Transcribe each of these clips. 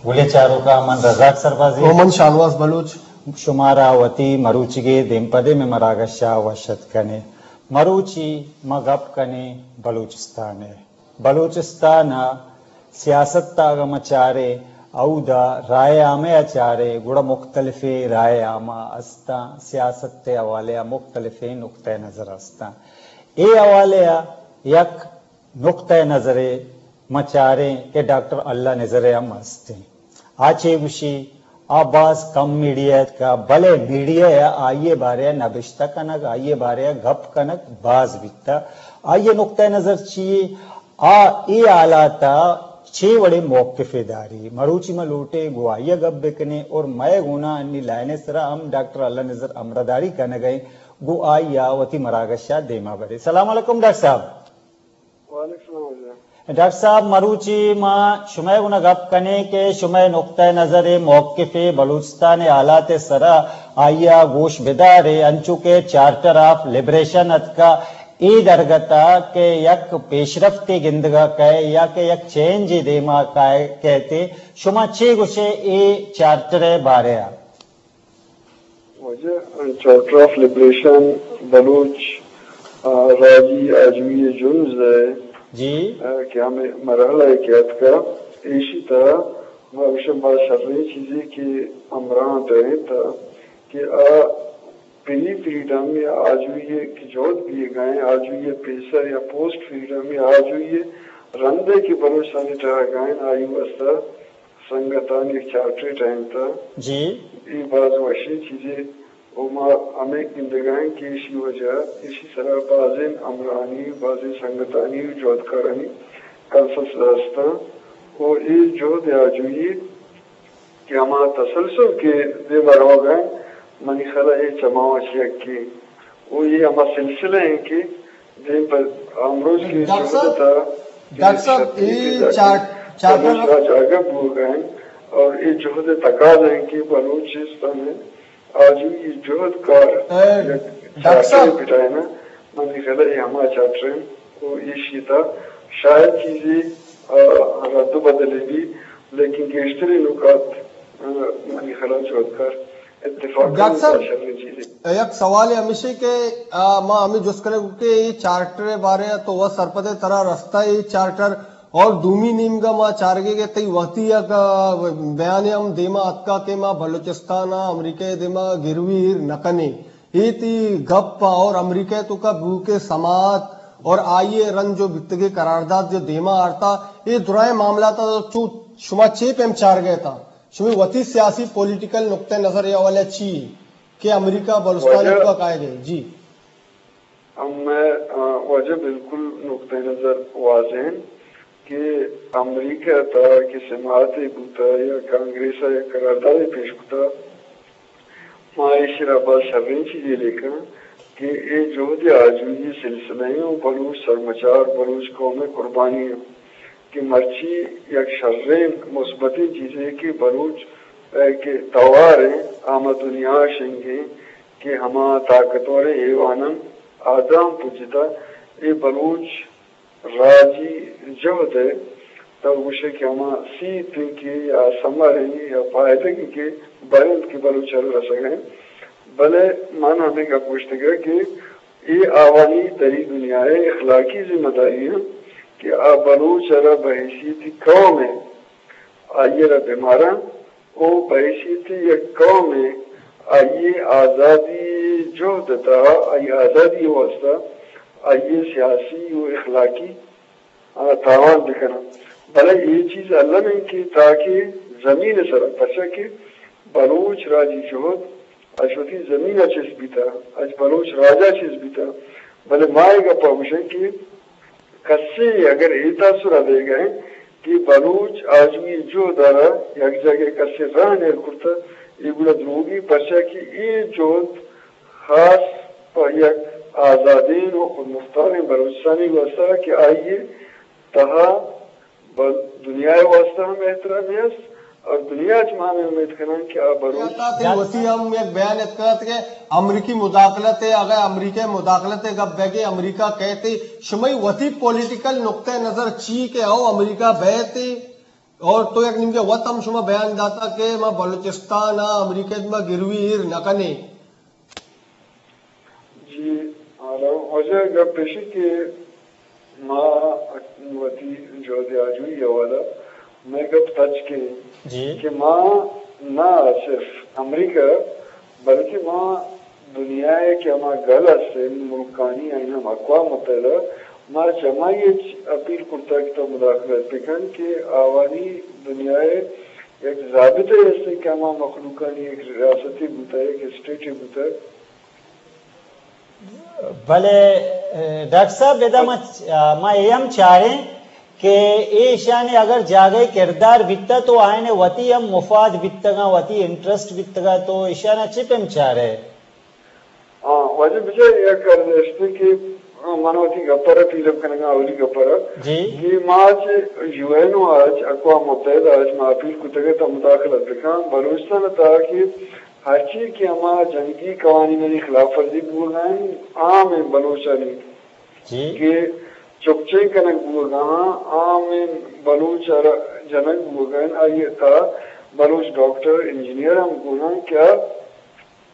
گلیں چاروکاں، من رزاق سربازی۔ و من شاہنواز بلوچ۔ شمارا وتی مروچیگیں دیمپدیں مراگشا وش اتک کنیں۔ مروچی ما گپ کنیں بلوچستان ءِ۔ بلوچستان ءِ سیاست ءَ اگاں ما چاریں، اودا رائے عامہ ءَ چاریں، گڑا مختلفیں رائے عامہ استاں، سیاست ءِ حوالے ءَ مختلفیں نقطہ نظر استاں۔ اے حوالے ءَ یک نقطہ نظرے ما چاریں کہ ڈاکٹر اللہ نذر ءِ ہم استیں۔ آ چے گوشی؟ آ باز کم میڈیا ءَ اتکا، بلے میڈیا ءَ آئی ءِ بارے ءَ نبشتہ کنگ، آئی ءِ بارے ءَ گپ کنگ باز بیتا۔ آئی ءِ نقطہ نظر چی یے؟ آ اے حالات ءَ چے وڑیں موقفے داری؟ مروچی ما لوٹیں گوں آئی ءَ گپ بکنیں اور مئے گونا انی لائن ءِ سرا ہم ڈاکٹر اللہ نذر ہمراہداری کنگ ءَ ایں، گوں آئی ءَ وتی مراگش ءَ دیما بریں۔ سلام علیکم ڈاکٹر صاحب۔ وعلیکم السلام جناب۔ ڈاکٹر صاحب، مروچی ما شمئے گونا گپ کنیں کہ شمئے نقطہ نظر ءُ موقف ءَ بلوچستان ءِ حالات ءِ سرا آئی ءَ گوش بدارے، انچو کہ چارٹر آف لبریشن اتکا، اے درگت ءَ کہ یک پیشرفتے گندگا کئے یا کہ یک چینجے دیما کئے کئیت، شما چے گوشے اے چارٹر ءِ بارے ءَ؟ واجہ، چارٹر آف لبریشن بلوچ، آ، راجی آجوئی جنز ءِ، جی۔ آ، کہ ہمے مرحلہ ءَ کہ اتکا، ایشی تہا ما گوشاں باز شریں چیزے کہ ہمراہ ٹہینتا کہ آ پری فریڈم یا آجوئی کہ جہد بیگا ایں، آجوئی پیسر یا پوسٹ فریڈم یا آجوئی رندے کہ بلوچستان ءِ تہا گائیں، آئی واسطہ سنگتانی یک چارٹرے ٹہینتا۔ جی۔ اے باز وشیں چیزے و ما ہمے گندگا ایں کہ ایشی وجہ، ایشی سرا بازیں ہمراہانی، بازیں سنگتانی و جہدکارانی کنسنسس ہستاں و اے جہد آجوئی کہ ہما تسلسل کہ دیما روگا ایں، منی خیالا اے چماں وش یکے و اے ہما سلسلہ ایں کہ دیم پہ امروز کی ڈاکٹر صاحب، جہد تا ڈاکٹر صاحب، اے چار-، چارٹر بلوچ راج آگہ بوگا ایں اور اے جہد تقاضا ایں کہ بلوچستان ءِ آجوئی جہد کار اے، یک ڈاکٹر صاحب۔ چارٹرے بٹائینا، منی خیالا اے ہما چارٹر ایں و ایشی تا شاید چیزے، آ، رد و بدلے بی، لیکن گیشتریں نکات، آ، منی خیالا جہدکار اتفاق ڈاکٹر صاحب، شریں چیزے۔ یک سوالے ہمیشے کہ، آ، ما ہمے جست کنگ کہ اے چارٹر ءِ بارے ءَ تو وت سرپد ئے، ترا رستہ اے چارٹر اور دومی نیمگا ما چارگے کہ تئی وتی یک، آ، بیانے ہم دیما اتکا کہ ما بلوچستان ءَ امریکہ ءِ دیما گروی ایر نہ کنیں۔ اے تئی گپ اور امریکہ ءِ توکا بوکیں سماعت اور آئی ءِ رند جو بیتگیں قرارداد جو دیما آرتا، اے درائیں معاملات ءَ چو شما چے پیم چارگے تا؟ شمئے وتی سیاسی پولیٹیکل نقطہ نظر ءِ حوالہ چی کہ امریکہ بلوچستان ءِ واجہ، توکا کائے گئے؟ جی۔ ہم مئے، آ، واجہ بالکل نقطہ نظر واضح ایں کہ امریکہ ءِ تہا کہ سماعتے بوتا یا کانگریس ءَ یک قراردادے پیش کتا، ما ایشی را باز شریں چیزے لیکاں کہ اے جہد آجوئی سلسلہ ایں و بلوچ سرمچار، بلوچ قوم ءِ قربانی ایں کہ مرچی یک شریں مثبتیں چیزے کہ بلوچ، اے، کہ توار ایں، آ ماں دنیا ءَ شنگ ایں کہ ہما طاقتوریں ایواناں آ داں پجتا اے بلوچ راجی جہد ءِ تو گوشے کہ ہما سیت ایں کہ یا ثمر ایں یا فائدگ ایں کہ بر انت کہ بلوچ ءَ رسگ ءَ ایں۔ بلے من ہمے گپ گوشتگ کہ اے آوانی دری دنیا ءِ اخلاقی ذمہ داری ایں کہ آ بلوچ ءَ را بحیثیت قوم ءَ آئی ءَ را بہ ماراں و بحیثیت یک قومے آئی ءِ آزادی جہد ءِ تہا، آئی ءِ آزادی ءِ واستہ، آئی ءِ سیاسی و اخلاقی، آ، تاوان بکناں۔ بلے اے چیز الم انت کہ تاکہ زمین ءِ سرا، پرچا کہ بلوچ راجی جہد اچ وتی زمین ءَ چست بیتہ، اچ بلوچ راج ءَ چست بیتہ، بلے ما اے گپ ءَ گوشیں کہ کسے اگر اے تاثر ءَ دیگ ءَ انت کہ بلوچ آجوئی جہد ءَ را یک جاگہ کسے رہن ایر کرتہ، اے گڑا دروگی، پرچا کہ اے جہد خاص پہ یک آزادیں و خودمختاریں بلوچستانی واستہ کہ آئی ءِ تہا بل دنیا ءِ واستہ ہم احترامے است، اور دنیا چ ما ہمے امید کناں کہ آ بلوچ۔ تئی وتی ہم یک بیان اتکگ ات کہ امریکی مداخلت ء، اگہ امریکہ مداخلت ء گپ بیگ ء، امریکہ کئیت، شمئی وتی پولیٹیکل نقطہ نظر چی کہ او امریکہ بیت؟ اور تو یک نیمگے وت ہم شما بیان داتا کہ ما بلوچستان ء امریکہ ء ما گروی ایر نہ کنیں۔ جی، حالا واجہ گپ ایشی کہ ما وتی جہد آجوئی حوالہ مئے گپ تچک انت جی۔ کہ ما نہ صرف امریکہ بلکہ ما دنیا ء کہ ہما گل است انت ملکانی، آیاں ہم اقوام متحدہ، ما چہ ہمائی ء اپیل کرتگ کہ تو مداخلت بکن کہ آوانی دنیا ء یک ضابطہ است کہ ہما مخلوقانی یک ریاستے بوتگ، یک اسٹیٹے بوتگ۔ بلے، اے، ڈاکٹر صاحب، ادا ما، ما اے ہم چاریں کہ اے ایشانی اگر جاگہے کردار بیتہ تو آیانی وتی ہم مفاد بیتگاں، وتی انٹرسٹ بیتگا، تو ایشانا چے پیم چارے؟ ہاں، واجہ بجا یک عرض است کہ من وتی گپر پیلم کنگا، اولی گپر جی۔ کہ ما چہ یو این او اچ، اقوام متحدہ اچ ما اپیل کتگ تا مداخلت بکن بلوچستان تا کہ ہرچی کہ ہما جنگی قوانینانی خلاف ورزی بوگا انت، عام بلوچانی جی۔ کہ چکچین کنگ بوگا، عام بلوچ ء را جنگ بوگا انت، آئی تا بلوچ ڈاکٹر، انجینئر ہم گونا کیا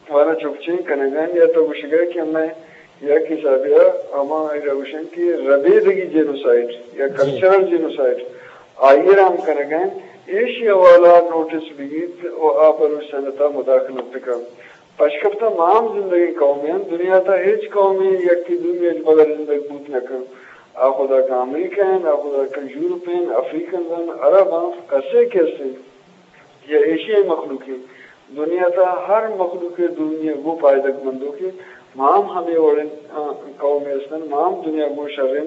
وانا چکچین کنگا انت، یا تو گوشگا کہ ہمیں یک حسابے ء ہما ایرا گوشن کہ ربیدگی جینوسائیڈ یا جی۔ کلچرل جینوسائیڈ آئی ء را ہم کنگ ء انت، ایشی حوالہ نوٹس بگیت و آ بلوچستان ء تہا مداخلت بکن۔ پشکپتہ ما ہم زندگیں قومے انت، دنیا تہا ہچ قومے یکے دومی اچ بغیر زندگ بوت نہ کن۔ آ خدا کہ امریکہ انت، آ خدا کہ یورپ انت، افریقنز انت، عرب انت، کسے کہ است انت یا ایشیائی مخلوقے، دنیا تہا ہر مخلوقے دومی ء گوں پائدگ بندوکے۔ ما ہم ہمے وڑیں، آ، قومے استن، ما ہم دنیا گوں شریں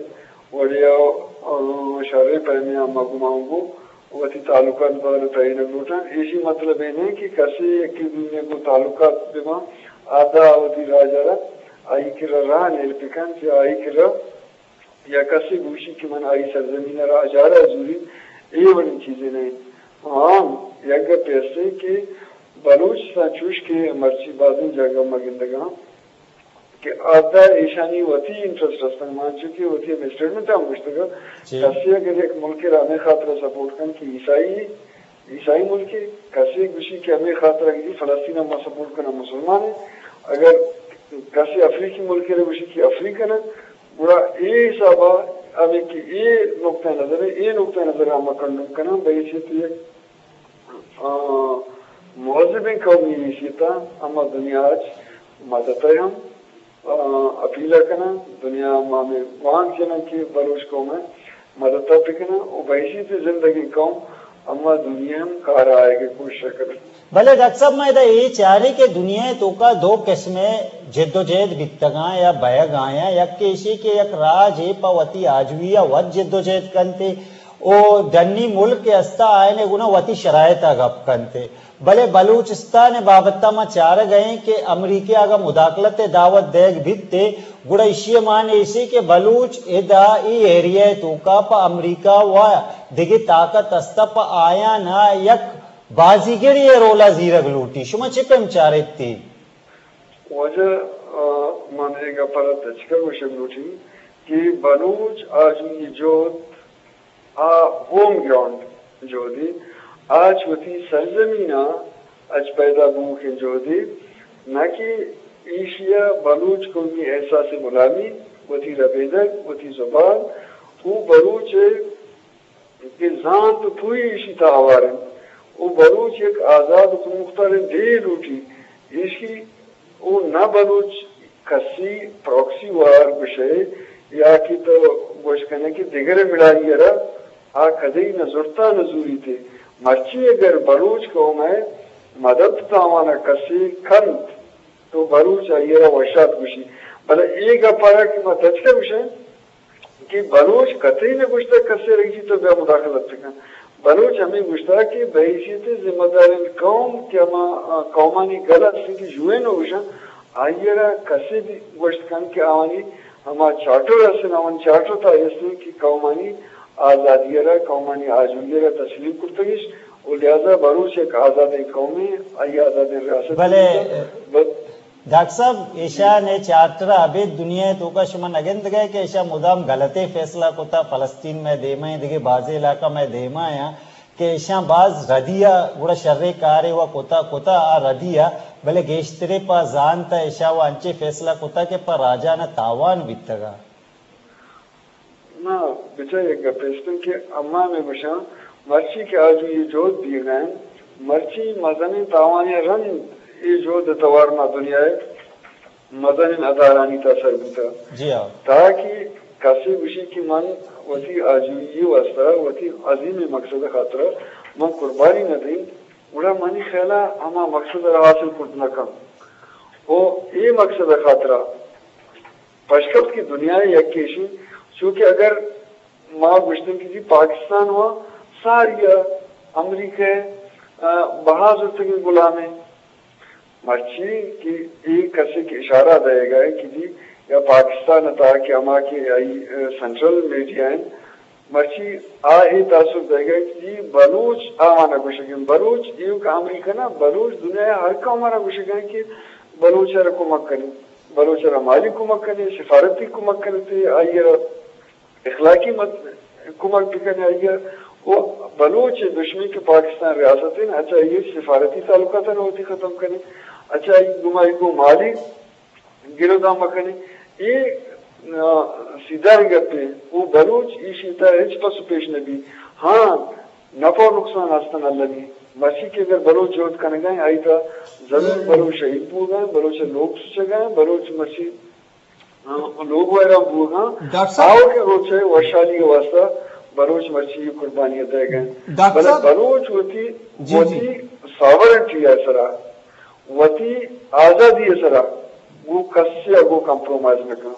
وڑے ء، آ، شریں پیمے ء ما گوں ما گوں وتی تعلقات بار تعین لوٹاں۔ ایشی مطلب اے نہیں کہ کسے یکے دومی ء گوں تعلقات بہ باں، آدا وتی راج ء را آئی کرا راہ نیر بکن کہ آئی کرا یا کسے گوشی کہ من آئی سرزمین ء را اجارہ ء زوری، اے وڑیں چیزے نہ انت۔ ہاں، یک گپے است کہ بلوچستان چوش کہ مرچی بازیں جاگہ ما گندگاں کہ آدا ایشانی وتی انٹرسٹ ہستن، من چونکہ وتی ہمے اسٹیٹمنٹ ہم گوشتگ، جی۔ کسے اگر یک ملک را ہمے خاطر سپورٹ کن کہ عیسائی عیسائی ملکے، کسے گوشی کہ ہمے خاطر اگہ فلسطین ء ما سپورٹ کناں مسلمان ایں، اگر کسے افریقی ملکے را گوشی کہ افریقن ء، گڑا اے حساب ء ہمے کہ اے نقطہ نظر ء، اے نقطہ نظر ء ما کنڈم کناں بہ حیثیت یک، آ، مہذبیں قومی حیثیت ء ہما دنیا اچ مدد ء ہم آ، اپیل ء کناں، دنیا ء ما ہمے گوانک جناں کہ بلوچ قوم ء مدد ء بکناں و بحیثیت زندگیں قوم ہما دنیا ہم کار ء آیگ ء کوشش ء کناں۔ بلے ڈاکٹر صاحب، ما ادا اے چاریں کہ دنیا ء توکا دو قسم ء جد و جہد بیتگاں یا بئیگ ء آیاں، یک ایشی کہ یک راجے پہ وتی آجوئی ء وت جد و جہد کنت ء او ڈنی ملک کہ استا آیانے گنا وتی شرائط ء گپ کنت ء بلے بلوچستان ء بابت ء ما چارگ ء ایں کہ امریکہ اگاں مداخلت ء دعوت دیگ بیت ء گڑا ایشی ء مان ایش کہ بلوچ ادا اے ایریا ء توکا پہ امریکہ و دگہ طاقت است ء پہ آیان ء یک بازیگرے ء رول ء زیرگ لوٹی۔ شما چے پیم چاریت تی؟ واجہ، آ، من اے گپ ء را تچک ء گوشگ لوٹیں کہ بلوچ آجوئی جہد آ ہوم گراؤنڈ جہدے، آ چہ وتی سرزمین ء اچ پیدا بووکیں جہدے، نہ کہ ایشی ء بلوچ قومی احساس غلامی، وتی ربیدگ، وتی زبان، او بلوچ ء کہ زانت و پوہی ایشی تہا ہوار انت، او بلوچ یک آزاد و پرمختاریں ڈیہے لوٹی، ایشی او نہ بلوچ کسی پراکسی وار گوشئے یا کہ تو گوش کنئے کہ دگرے مڑائی ء را آ کدی نہ زرتا نہ زوریت۔ مرچی اگر بلوچ قوم ء مدد تاوان ء کسے کنت تو بلوچ آئی ء را وشات گوشی۔ بلے اے گپ ء را کہ ما تچک ء گوشیں، کہ بلوچ کتئی نہ گوشتگ کسے رئیسی تو بیا مداخلت بکن۔ بلوچ ہمے گوشتگ کہ بحیثیت ذمہ داریں قوم کہ ہما، آ، قومانی گل است کہ یو این او گوشاں، آئی ء را کسے بھی گوشت کن کہ آوانی ہما چارٹر است، آوانی چارٹر تہا است کہ قومانی آزادی ء را، قومانی آجوئی ء را تسلیم کرتگش و لہذا بلوچ یک آزادیں قومے، آئی آزادیں ریاست بلے، بلے ڈاکٹر صاحب، ایشاں ءِ چارٹر ءَ ابید دنیا ءِ توکا شما نہ گندگ ئے کہ ایشاں مدام غلطیں فیصلہ کتا، فلسطین مئے دیما ایں، دگہ بازیں علاقہ مئے دیما ایں، کہ ایشاں باز ردی ءَ گڑا شریں کارے و کتا، کتا آ ردی ءَ، بلے گیشترے پہ زانت ءَ ایشاں و انچیں فیصلہ کتا کہ پہ راجان ءَ تاوان بیتگ ءَ۔ نا، بچار یک گپے است کہ اما مئے گوشاں، مرچی کہ آجوئی جہد بیگا انت، مرچی مزنیں تاوانے رند اے جہد ءِ توار ما دنیا ءِ مزنیں ادارہانی تہا سر بوتگ۔ جی ہاں۔ تاکہ کسے گوشی کہ من وتی آجوئی ءِ واستہ، وتی عظیمیں مقصد ءِ خاطرا من قربانی نہ دیں، گڑا منی خیالا ہما مقصد ءَ را حاصل کرت نہ کن۔ او اے مقصد ءِ خاطرا پشکپت کہ دنیا ءِ یک ایشی، چونکہ اگر ما گوشتن کہ جی پاکستان و ساری ءَ امریکہ ءِ، آ، بہا زرتگیں غلامے۔ مرچی کہ اے کسے کہ اشارہ دئیگا ہے کہ جی یا پاکستان ءِ تہا کہ ہما کہ آئی، آ، سینٹرل میڈیا ہیں، مرچی آ اے تاثر دئیگا کہ جی بلوچ آوانا گوشگیں، بلوچ ایوک امریکہ نا، بلوچ دنیا ءِ ہر قوم ءَ را گوشگا کہ بلوچ ءَ را کمک کنی، بلوچ ءَ را مالی کمک کنی، سفارتی کمک کنی، آئی ءَ را اخلاقی مد-، کمک بکنے آئی ءَ۔ و بلوچ دشمن کہ پاکستان ریاست ہیں، اچھا آئی سفارتی تعلقات ءَ وتی ختم کنے، اچھا آئی گما، آئی گو مالی گرودان مکنے۔ اے، آ، سیدھا گپے۔ او بلوچ ایشی تا ہچ پس و پیش نبی۔ ہاں، نفع و نقصان ہستن المی۔ مرچی کہ اگر بلوچ جہد کنگا ہیں، آئی تا ضرور بلوچ شہید بوگا ہیں، بلوچ لوگ سچگا ہیں، بلوچ مرچی، آ، لوگ ویران بوگا ہیں۔ ڈاکٹر صاحب۔ آؤکیں روچے وشحالی کے واسطہ بلوچ مرچی قربانی دے گئے۔ ڈاکٹر بلے صاحب۔ بلوچ وتی، جی، جی۔ وتی ساورنٹی ہے سرا۔ وتی آزادی ءِ سرا گوں کسے ءَ گوں کمپرومائز نہ کن۔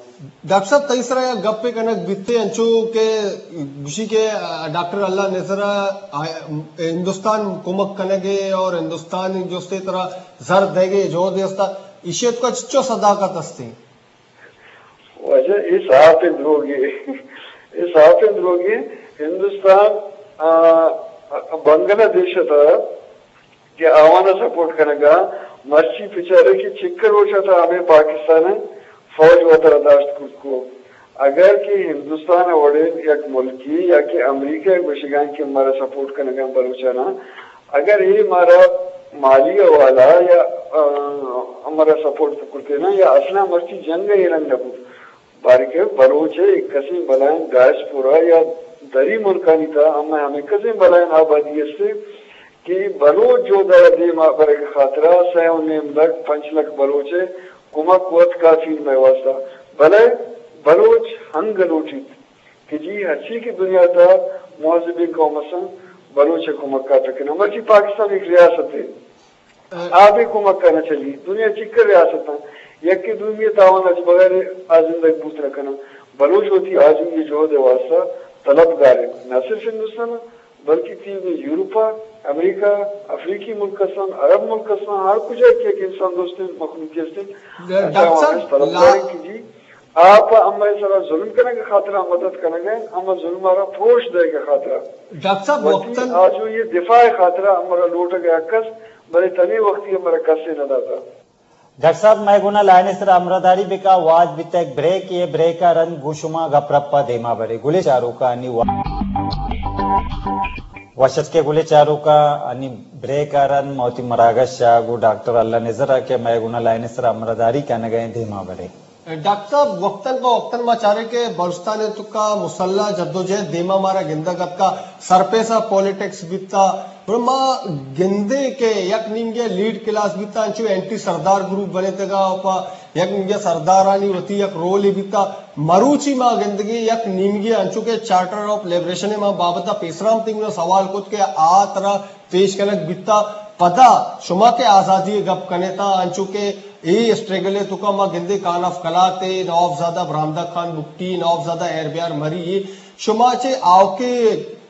ڈاکٹر صاحب، تئی سرا یک گپے کنگ بیتے، انچو کہ گوشی کہ، آ، ڈاکٹر اللہ نذر ءَ، آ، ہندوستان کمک کنگ ءَ اور ہندوستان جستے ترا زر دیگ ءَ جہد استا، ایشی ءَ تو چچو صداقت استے؟ واجہ، اے صاف دروگے۔ اے صاف دروگے۔ ہندوستان، آ، بنگلہ دیش ءِ تہا کہ آوان ءَ سپورٹ کنگ ءَ، مرچی بچارے کہ چکر روچ ءَ تھا ہمے پاکستان ءِ فوج وترا داشت کت کو۔ اگر کہ ہندوستان ءِ وڑیں یک ملکی یا کہ امریکہ ءَ گوشگاں کہ مارا سپورٹ کنگ ءَ بلوچاناں، اگر اے مارا مالی حوالہ یا، آ، مارا سپورٹ کرتے نا یا اصلا مرچی جنگ ءَ اے رنگ نہ بوت۔ باریں کہ بلوچ ءِ یک کسیں بلائیں ڈائسپورا یا دری ملکانی تہا ہمے، ہمے کسیں بلائیں آبادی است کہ بلوچ جہد ءَ دیم ءَ برگ ءِ خاطرا سئے و نیم لکھ، پنچ لکھ بلوچ ءِ کمک وت کافی مئے واسطہ۔ بلے بلوچ ہنگ لوٹیت کہ جی ہرچی کہ دنیا تہا مہذبیں قوم است، بلوچ ءِ کمک ءَ کناں۔ مرچی پاکستان یک ریاستے۔ آ بے کمک ءَ نہ چلی۔ دنیا چکر ریاستاں یکے دومی ءِ تاوان ءَ چہ بغیر آ زندگ بوت نہ کناں۔ بلوچ وتی آجوئی ءِ جہد ءِ واسطہ طلبگار انت، نہ صرف ہندوستان ءَ، بلکہ تیوگیں یورپ ءَ، امریکہ، افریقی ملک استاں، عرب ملک استاں، ہر کجا کہ یک انسان دوستیں مخلوقے است انت، ڈاکٹر صاحب، طلبگار انت کہ جی آ پہ امئے سرا ظلم کنگ ءِ خاطرا مدد کنگ ءَ انت، ہما ظلم ءَ را پروش دئیگ ءِ خاطرا۔ ڈاکٹر صاحب، وتی وقتاً آجوئی ءِ دفاع ءِ خاطرا ہمرا لوٹگ ءَ یک کس، بلے تنے وقتی ہمرا کسے نہ داتا۔ ڈاکٹر صاحب، مئے گونا لائن ءِ سرا ہمراہداری بکا، وہد بیتا یک بریک، اے بریک ءَ رند گوں شما گپ رپ ءَ دیما برے۔ گلیں چاروکاں انی وا-، وش اتکے گلیں چاروکاں، انی بریک ءَ رند ما وتی مراگش ءَ گوں ڈاکٹر اللہ نذر ءَ کہ مئے گونا لائن ءِ سرا ہمراہداری کنگ ءَ انت دیما برے۔ ڈاکٹر صاحب، وقتاً پہ وقتاً ما چاریں کہ بلوچستان ءِ توکا مسلح جدوجہد دیما مارا گندگ اتکا، سرپیسا پالیٹکس بیتا، گڑا ما گندیں کہ یک نیمگے لیڈ کلاس بیتا، انچو اینٹی سردار گروپ بنتگا، پہ یک نیمگے سردارانی وتی یک رولے بیتا۔ مروچی ما گندگیں یک نیمگے انچو کہ چارٹر آف لبریشن ءِ ما بابت ءَ پیسرا ہم تئی گونا سوال کت کہ آ ترا پیش کنگ بیتا۔ پدا شما کہ آزادی ءِ گپ کنیتا، انچو کہ اے اسٹرگل ءِ توکا ما گندے خان آف قلات ءِ، نواب زادہ برہمداد خان بگٹی، نواب زادہ ہیر بیار مری، شما چے آؤکے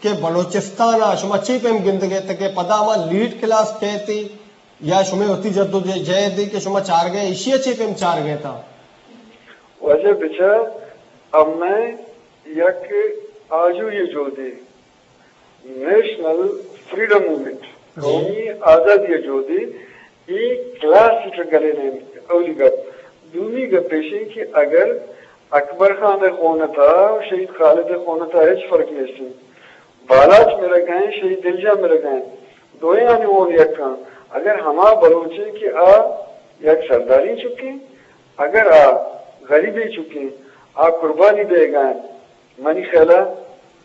کہ بلوچستان ءَ شما چے پیم گندگ ءَ ات کہ پدا ہما لیڈ کلاس کئیت یا شمے وتی جد و جہد ءَ کہ شما چارگ ءَ ایشی ءَ چے پیم چارگ ءَ ات؟ واجہ بچار، امئے یک آجوئی جہدے نیشنل فریڈم موومنٹ، جی۔ قومی آزادی ءِ جہد ءِ اے کلاسیکل گلین انت۔ اولی گپ۔ دومی گپ ایش انت کہ اگر اکبر خان ءِ خون ءِ تہا و شہید خالد ءِ خون ءِ تہا ہچ فرق نیست انت۔ بالاچ مرگ ءَ انت، شہید دلجان مرگ ءَ انت۔ دوئینانی ہون یک انت۔ اگر ہما بلوچے کہ آ یک سرداری چکیں، اگر آ غریبے چکیں، آ قربانی دئیگ ءَ انت، منی خیال ءَ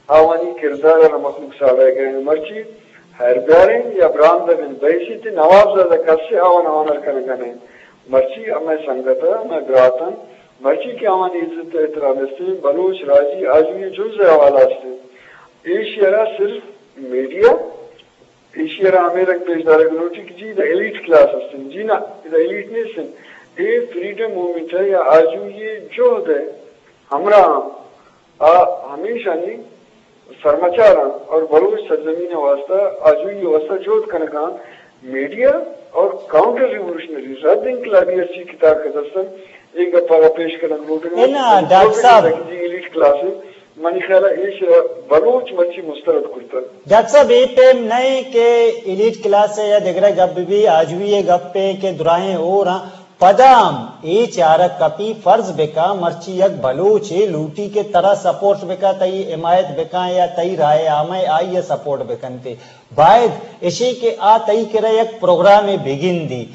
آوانی کردار ءَ را مخلوق ساڑایگ ءَ انت۔ مرچی ہیر بیارین یا براندہ بن بحیثیت نواب زادہ کسے آوان آنر کنگ ءَ نہ انت۔ مرچی ہمے سنگت ءَ، ہمے برات انت، مرچی کہ آوانی عزت ءُ احترام است انت، بلوچ راجی آجوئی جنز ءِ حوالہ است انت۔ ایشی ءَ را صرف میڈیا، ایشی ءَ را ہمے رنگ پیش دارگ لوٹی کہ جی ادا ایلیٹ کلاس است انت۔ جی نہ، ادا ایلیٹ نیست انت۔ اے فریڈم موومنٹ ءِ یا آجوئی جہد ءِ ہمراہ آ ہمیشانی سرمچاراں اور بلوچ سرزمین ءِ واستہ، آجوئی ءِ واستہ جہد کنگاں۔ میڈیا اور کاؤنٹر ریولوشنری، رد انقلابی ہرچی کہ طاقت ہستن، اے گپ ءَ را پیش کنگ لوٹگ۔ اے نا، ڈاکٹر صاحب۔ جی، ایلیٹ کلاس ہے، منی خیال ہے ایش بلوچ مرچی مسترد کرتا۔ ڈاکٹر صاحب، اے ٹائم نہ کہ ایلیٹ کلاس ہے یا دگرے گپ بھی، آجوئی ءِ گپ ہے کہ دراہیں اور ہاں۔ پدا ہم اے چارگ کپی، فرض بکاں مرچی یک بلوچے لوٹی کہ ترا سپورٹ بکاں، تئی حمایت بکاں یا تئی رائے عامہ آئی ءَ سپورٹ بکنتے، باید اشی کہ آ تئی کرا یک پروگرامے بگندی۔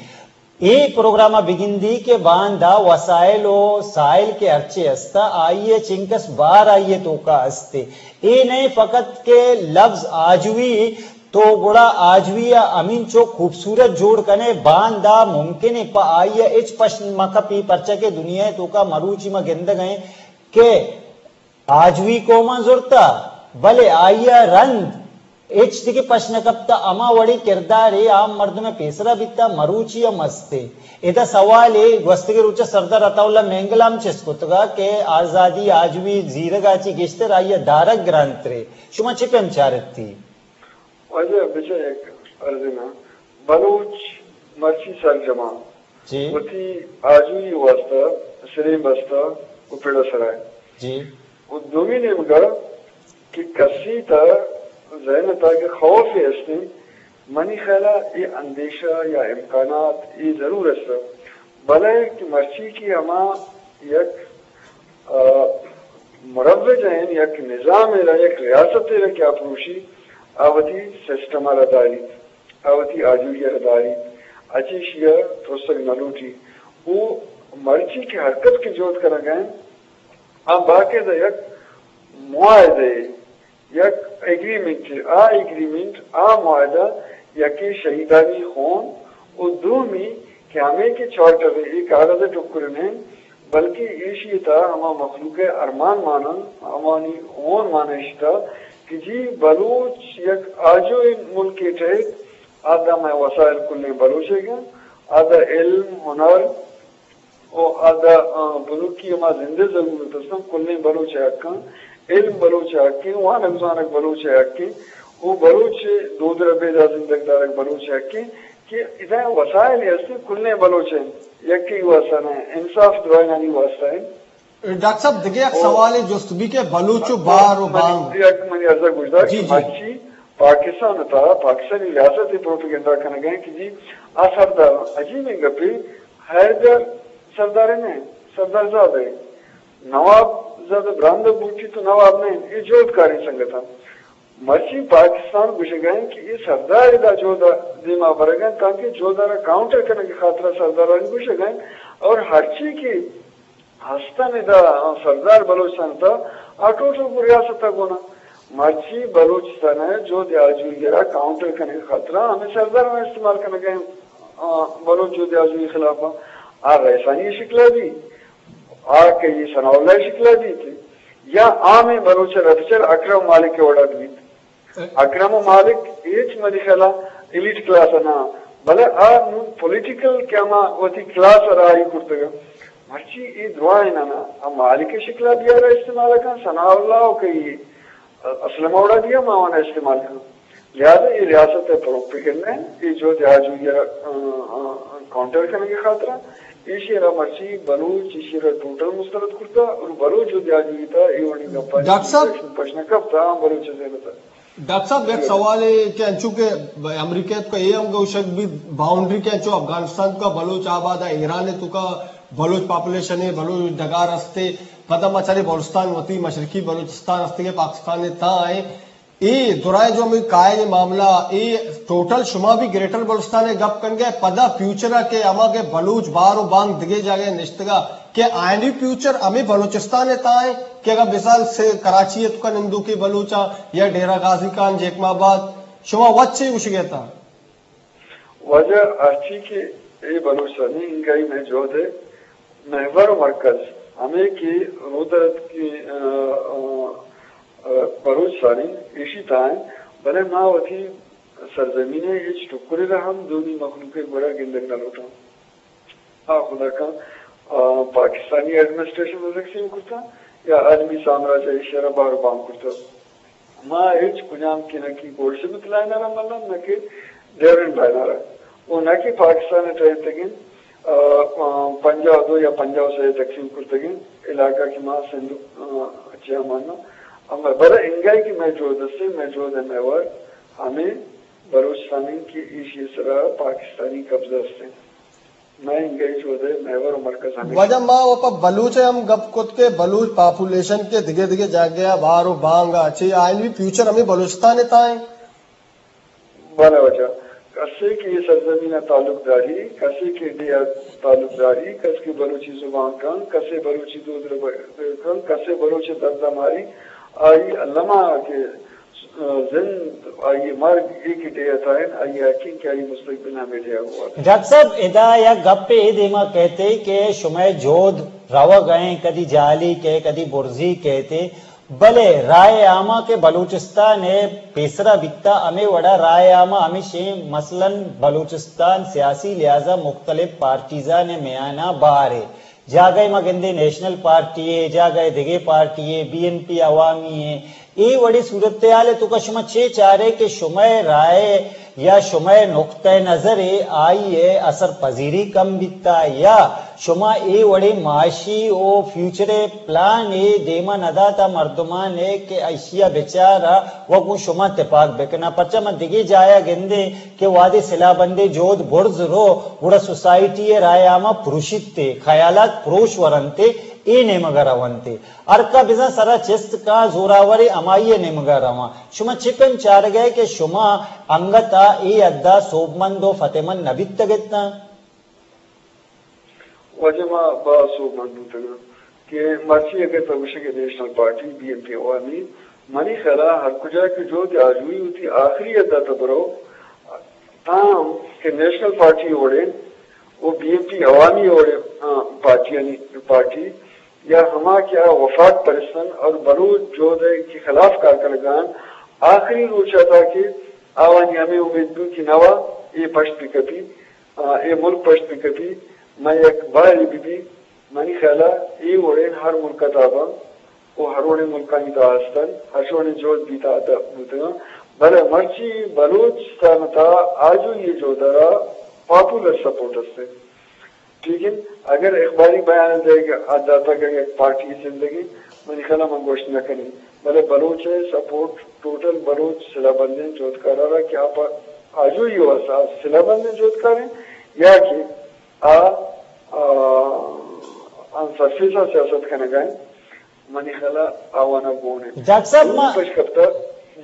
اے پروگرام ءَ بگندی کہ باندا وسائل و سائل کہ ہرچے ہستا، آئی ءَ چنکس بار آئی ءِ توکا ہستے۔ اے نئے فقط کہ لفظ آجوئی تو گڑا آجوئی ءَ ہمینچو خوبصورت جوڑ کنے، باندا ممکن ہے پہ آئی ءَ ہچ پشن مہ کپی، پرچا کہ دنیا ءِ توکا مروچی ما گندگ ءَ ایں کہ آجوئی قوماں زرتا، بلے آئی ءَ رند ہچ دگہ پش نہ کپتا۔ ہما وڑیں کردارے عام مردم ءِ پیسرا بیتا، مروچی ہم ہستے۔ ادا سوالے گوستگیں روچ ءَ سردار عطا اللہ مینگل ءَ ہم چست کتگا کہ آزادی آجوئی زیرگ ءَ چی گیشتر آئی ءَ دارگ گرانترے۔ شما چے پیم چارتی؟ واجہ بچار یک عرضے نا، بلوچ مرچی سرجماں جی۔ وتی آجوئی واسطہ سرین بستہ و پڑ سرائے۔ جی۔ و دومی نیمگا کہ کسی تا ذہن تا کہ خوف ہستیں، منی خیالا اے اندیشہ یا امکانات اے ضرور است، بلے کہ مرچی کہ ہما یک، آ، مروج ہیں، یک نظام را، یک ریاست را کہ آ پروشی، آ وتی سسٹم را داریت۔ آ وتی آجوئی ءَ را داریت، اچ ایشی ءَ ترسگ نہ لوٹی۔ او مرچی کہ حرکت کہ جہد کنگ ءَ انت، آ باقاعدہ یک معاہدہ، یک ایگریمنٹ، آ ایگریمنٹ، آ معاہدہ یکے شہیدانی خون و دومی کہ ہمے کہ چارٹر ءِ اے کاغذ ءِ ٹکر نہ انت، بلکہ ایشی ءِ تہا ہما مخلوق ءِ ارمان مان انت، ہمانی ہون مان ایشی تہا کہ جی بلوچ یک آجوئیں ملکے ٹہیت، آ داں مئے وسائل کلیں بلوچ ءِ گاں، آ داں علم، ہنر و آ داں، آ، بنکی ہما زندے ضرورت استاں، کلیں بلوچ ءِ حقاں، علم بلوچ ءِ حقیں، وانگ زانگ بلوچ ءِ حقیں، و بلوچ ءِ دود ربیدا زندگ دارگ بلوچ ءِ حقیں کہ ادا وسائل ہستیں کلیں بلوچ ءِ، یکے واسطہ نہ، انصاف درائینانی واسطہ انت۔ ڈاکٹر صاحب، دگہ یک او۔ سوالے جست بی کہ بلوچ و بار و منی، بانگ۔ یک منی عرضہ گوشدار جی، کہ جی۔ مرچی پاکستان ءِ تہا پاکستانی ریاست ءِ پروپیگنڈا کنگ ءَ کہ جی آ سردار عجیبیں گپے، حیدر سردار نہ، سردار زادہ، نواب زادہ براندہ بوٹی تو نواب نہ، اے جہدکاریں سنگتاں۔ مرچی پاکستان گوشگ ءَ انت کہ اے سردار ادا جہد ءَ دیما برگ ءَ انت، تانکہ جہد ءَ را کاؤنٹر کنگ ءِ خاطر ءَ سردارانی گوشگ ءَ انت اور ہرچی کہ ہستن ادا سردار بلوچستان ءِ تہا آ ٹوٹل گوں ریاست ءَ گون انت۔ مرچی بلوچستان ءِ جہد آجوئی ءَ را کاؤنٹر کنگ ءِ خاطر ءَ ہمے سرداراں استعمال کنگ ءَ انت، آ، بلوچ جہد آجوئی ءِ خلاف ءَ آ رئیسانی شکل ءَ بیت۔ آ کئی ثناء اللہ ءِ شکل ءَ بیت یا عامیں بلوچ ءِ رد چر اکرم مالک ءِ وڑا بیت۔ اکرم مالک ہچ منی خیال ءَ ایلیٹ کلاس ءَ نہ، بلے آ نوں پولیٹیکل کہ ہما وتی کلاس ءَ راہی کرتگ۔ مرچی اے دراہیں نہ، آ مالک ءِ شکل ءَ بیار ءَ استعمال کن، ثناء اللہ ءُ کئی اسلم ءِ وڑا بیا ما آوان ءَ استعمال کن۔ لہذا اے ریاست ءِ پروپیگنڈا انت، اے جہد آجوئی ءَ را، آ، آ، کاؤنٹر کنگ ءِ خاطر ءَ، ایشی ءَ را مرچی بلوچ ایشی ءَ را ٹوٹل مسترد کرتا اور بلوچ جہد آجوئی ءِ تہا اے وڑیں گپانی ڈاکٹر صاحب، پش نہ کپتا، آ بلوچ ءِ ذہن ءِ تہا۔ ڈاکٹر صاحب، یک سوالے کہ انچو کہ امریکہ تو کا اے ہم گوشگ بیت، باؤنڈری کہ انچو افغانستان تو کا بلوچ آباد ہے، ایران تو کا بلوچ پاپولیشن ہے، بلوچ ڈگار ہستے، پدا ما چارے بلوچستان وتی مشرقی بلوچستان ہستے کہ پاکستان تا ہے۔ اے درائیں جو ہمیں قائد معاملہ، اے ٹوٹل شما بھی گریٹر بلوچستان ہے گپ کنگے، پدا فیوچر ہے کہ ہما کہ بلوچ بار و بانگ دگے جاگے نشتگا، کہ آئینی فیوچر ہمیں بلوچستان ء تہا انت کہ اگاں مثال سے کراچی ء توکا نندوکیں بلوچاں یا ڈیرہ غازی خان، جیکب آباد، شما وت چے گوشگ ء اتاں؟ واجہ، ہرچی کہ اے بلوچستانی انگائی مئے جہد ء محور و مرکز ہمے کہ رودرتکیں، آ، آ، آ، بلوچستان انت، ایشی تہا انت، بلے ما وتی سرزمین ء ہچ ٹکرے را ہم دونی مخلوق ء گورا گندگ نہ لوٹاں۔ آ خدا کن، آ، پاکستانی ایڈمنسٹریشن ء تقسیم کرتا یا عالمی سامراج ء ایشی ء را بار و بام کرتا۔ ما ہچ کجام کہ نہ کہ گولڈسمتھ لائن ء را ملن، نہ کہ ڈیورنڈ لائن ء را، و نہ کہ پاکستان ء ٹہینتگیں، آ، آ، پنجاہ و دو یا پنجاہ و سے ء تقسیم کرتگیں علاقہ کہ ما سندھ، آ، چہ ہمانا، اما بلے انگائے کہ مئے جہد استیں، مئے جہد ء محور ہمیں بلوچستان انت کہ ایشی ء سرا پاکستانی قبضہ استیں۔ مئے انگہ اے جہد ء محور و مرکز ہمیش انت۔ واجہ، ما و پہ بلوچ ء ہم گپ کت کہ بلوچ پاپولیشن کہ دگہ دگہ جاگہ ء بار و بانگ ء چہ آئین بھی فیوچر ہمیں بلوچستان ء تہا انت۔ بلے واجہ، کسے کہ اے سرزمین ء تعلق داری، کسے کہ ڈیہہ ء تعلق داری، کس کہ بلوچی زبان کن، کسے بلوچی دود ء ب-، کن، کسے بلوچ ء درد ء ماری، آئی الما کہ زند، آئی مرگ، اے کہ ڈیہہ ء تہا انت، آئی ء یقین کہ آئی مستقبل ہمے ڈیہہ ء بوت۔ ڈاکٹر صاحب، ادا یک گپے اے دیما کئیت کہ شمئے جہد روگ ء انت، کدی جہلی کئیت، کدی برزی کئیت، بلے رائے عامہ کہ بلوچستان ء پیسرا بیتا، ہمے وڑا رائے عامہ ہمیش انت، مثلاً بلوچستان سیاسی لحاظا مختلف پارٹیزان ء میانا بہر ء جاگہے ما گندیں نیشنل پارٹی ء، جاگہے دگہ پارٹی ء، بی این پی عوامی ء، اے وڑیں صورتحال ء توکا شما چے چارے کہ شمئے رائے یا شمئے نقطہ نظر ء آئی ء اثر پذیری کم بیتا، یا شما اے وڑیں معاشی و فیوچر ء پلان ء دیما نداتا مردمان ء کہ ایشی ء بچارا و گوں شما تپاک بکنا؟ پرچا ما دگہ جایا گندیں کہ وہدے سلاہ بندیں جہد برز رو، گڑا سوسائٹی ء رائے عامہ پروشیت ء، خیالات پروش ورنت ء، اے نیمگ ء رونت ء۔ ہرکا بزاں سرا چست کاں، زوراوریں ہمائی ء نیمگ ء رواں۔ شما چکن چارگ ء کہ شما انگت ء اے حد ء سوبمند و فتحمند نہ بیتگ اتاں؟ واجہ، ما باز سوبمند بوتگاں کہ مرچی اگر تو گوشے کہ نیشنل پارٹی، بی این پی عوامی، منی خیال ء ہر کجا کہ جہد آجوئی وتی آخری حد ء تو برو، تاں کہ نیشنل پارٹی وڑیں و بی این پی عوامی وڑیں، آ، پارٹیانی پارٹی یا ہما کہ آ وفاق پرستن اور بلوچ جہد ء کہ خلاف کار کنگان، آخری روچ ء تا کہ آوانی ہمے امید بو کہ نوا اے پشت بکپی، آ، اے ملک پشت بکپی، مئے یک بہرے ببی۔ منی خیال ء اے وڑیں ہر ملک ء تہا باں و ہر وڑیں ملکانی تہا ہستن، ہر وڑیں جہد بیتا بوتگاں، بلے مرچی بلوچستان ء تہا آجوئی ء جہد ء را پاپولر سپورٹ است۔ ٹھیک ہے، اگر اخباری بیان دے کہ آ داتا کہ یک پارٹی زندگی، منی خیال ء من گوشت نہ کنی، بلے بلوچ ء سپورٹ، ٹوٹل بلوچ سلاہ بندیں جہدکار ء را کہ آ پا آجوئی واسطہ سلاہ بندیں جہدکار ہیں یا کہ آ، آ، آن سرفیس ء سیاست کنگ ء انت، منی خیال ء آوان ء گون انت۔ ڈاکٹر صاحب، ما، دومی پشکپتہ،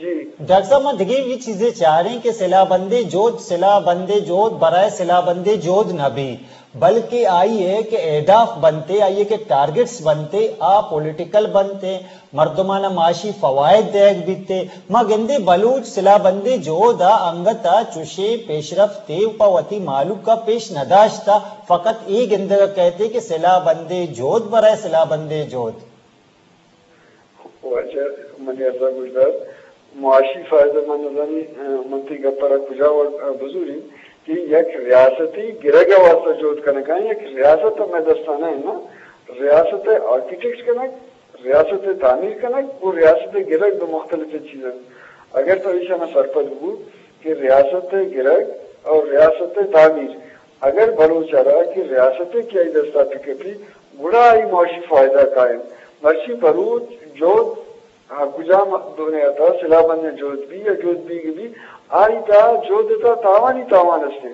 جی۔ ڈاکٹر صاحب، ما دگہ بھی چیزیں چاریں کہ سلاہ بندیں جہد، سلاہ بندیں جہد برائے سلاہ بندیں جہد نہ بی، بلکہ آئی ہے کہ اہداف بنتے، آئی ہے کہ ٹارگٹس بنتے، آ پولیٹیکل بنتے، مردمان ء معاشی فوائد دئیگ بیت ء ما گندیں بلوچ سلاہ بندیں جہد ء انگت ء چوشیں پیشرفتے پہ وتی مہلوک ء پیش نہ داشتہ، فقط اے گندگ ء کئیت کہ سلاہ بندیں جہد برائے سلاہ بندیں جہد۔ واجہ منی ارزا گوشدار، معاشی فائدہ من نزانی، ء، من تئی گپ ء را کجا وڑ، ء، بزوریں کہ یک ریاستی گرگ ء واسطہ جہد کنگا، یک ریاست ہمے دستانا ہے نا، ریاست ء آرکیٹیکٹ کنگ، ریاست ء تعمیر کنگ و ریاست ء گرگ دو مختلف چیز انت۔ اگر تو ایشانا سرپد بو کہ ریاست ء گرگ اور ریاست ء تعمیر، اگر بلوچ ء را کہ ریاست ء کہ آئی دستا بکپی، گڑا آئی معاشی فائدہ قائم۔ مرچی بلوچ جہد ہر کجام دنیا تا سلاہ بندیں جہد بی یا جہد بیگ بی، آئی تا جہد تا تاوانی تاوان استیں۔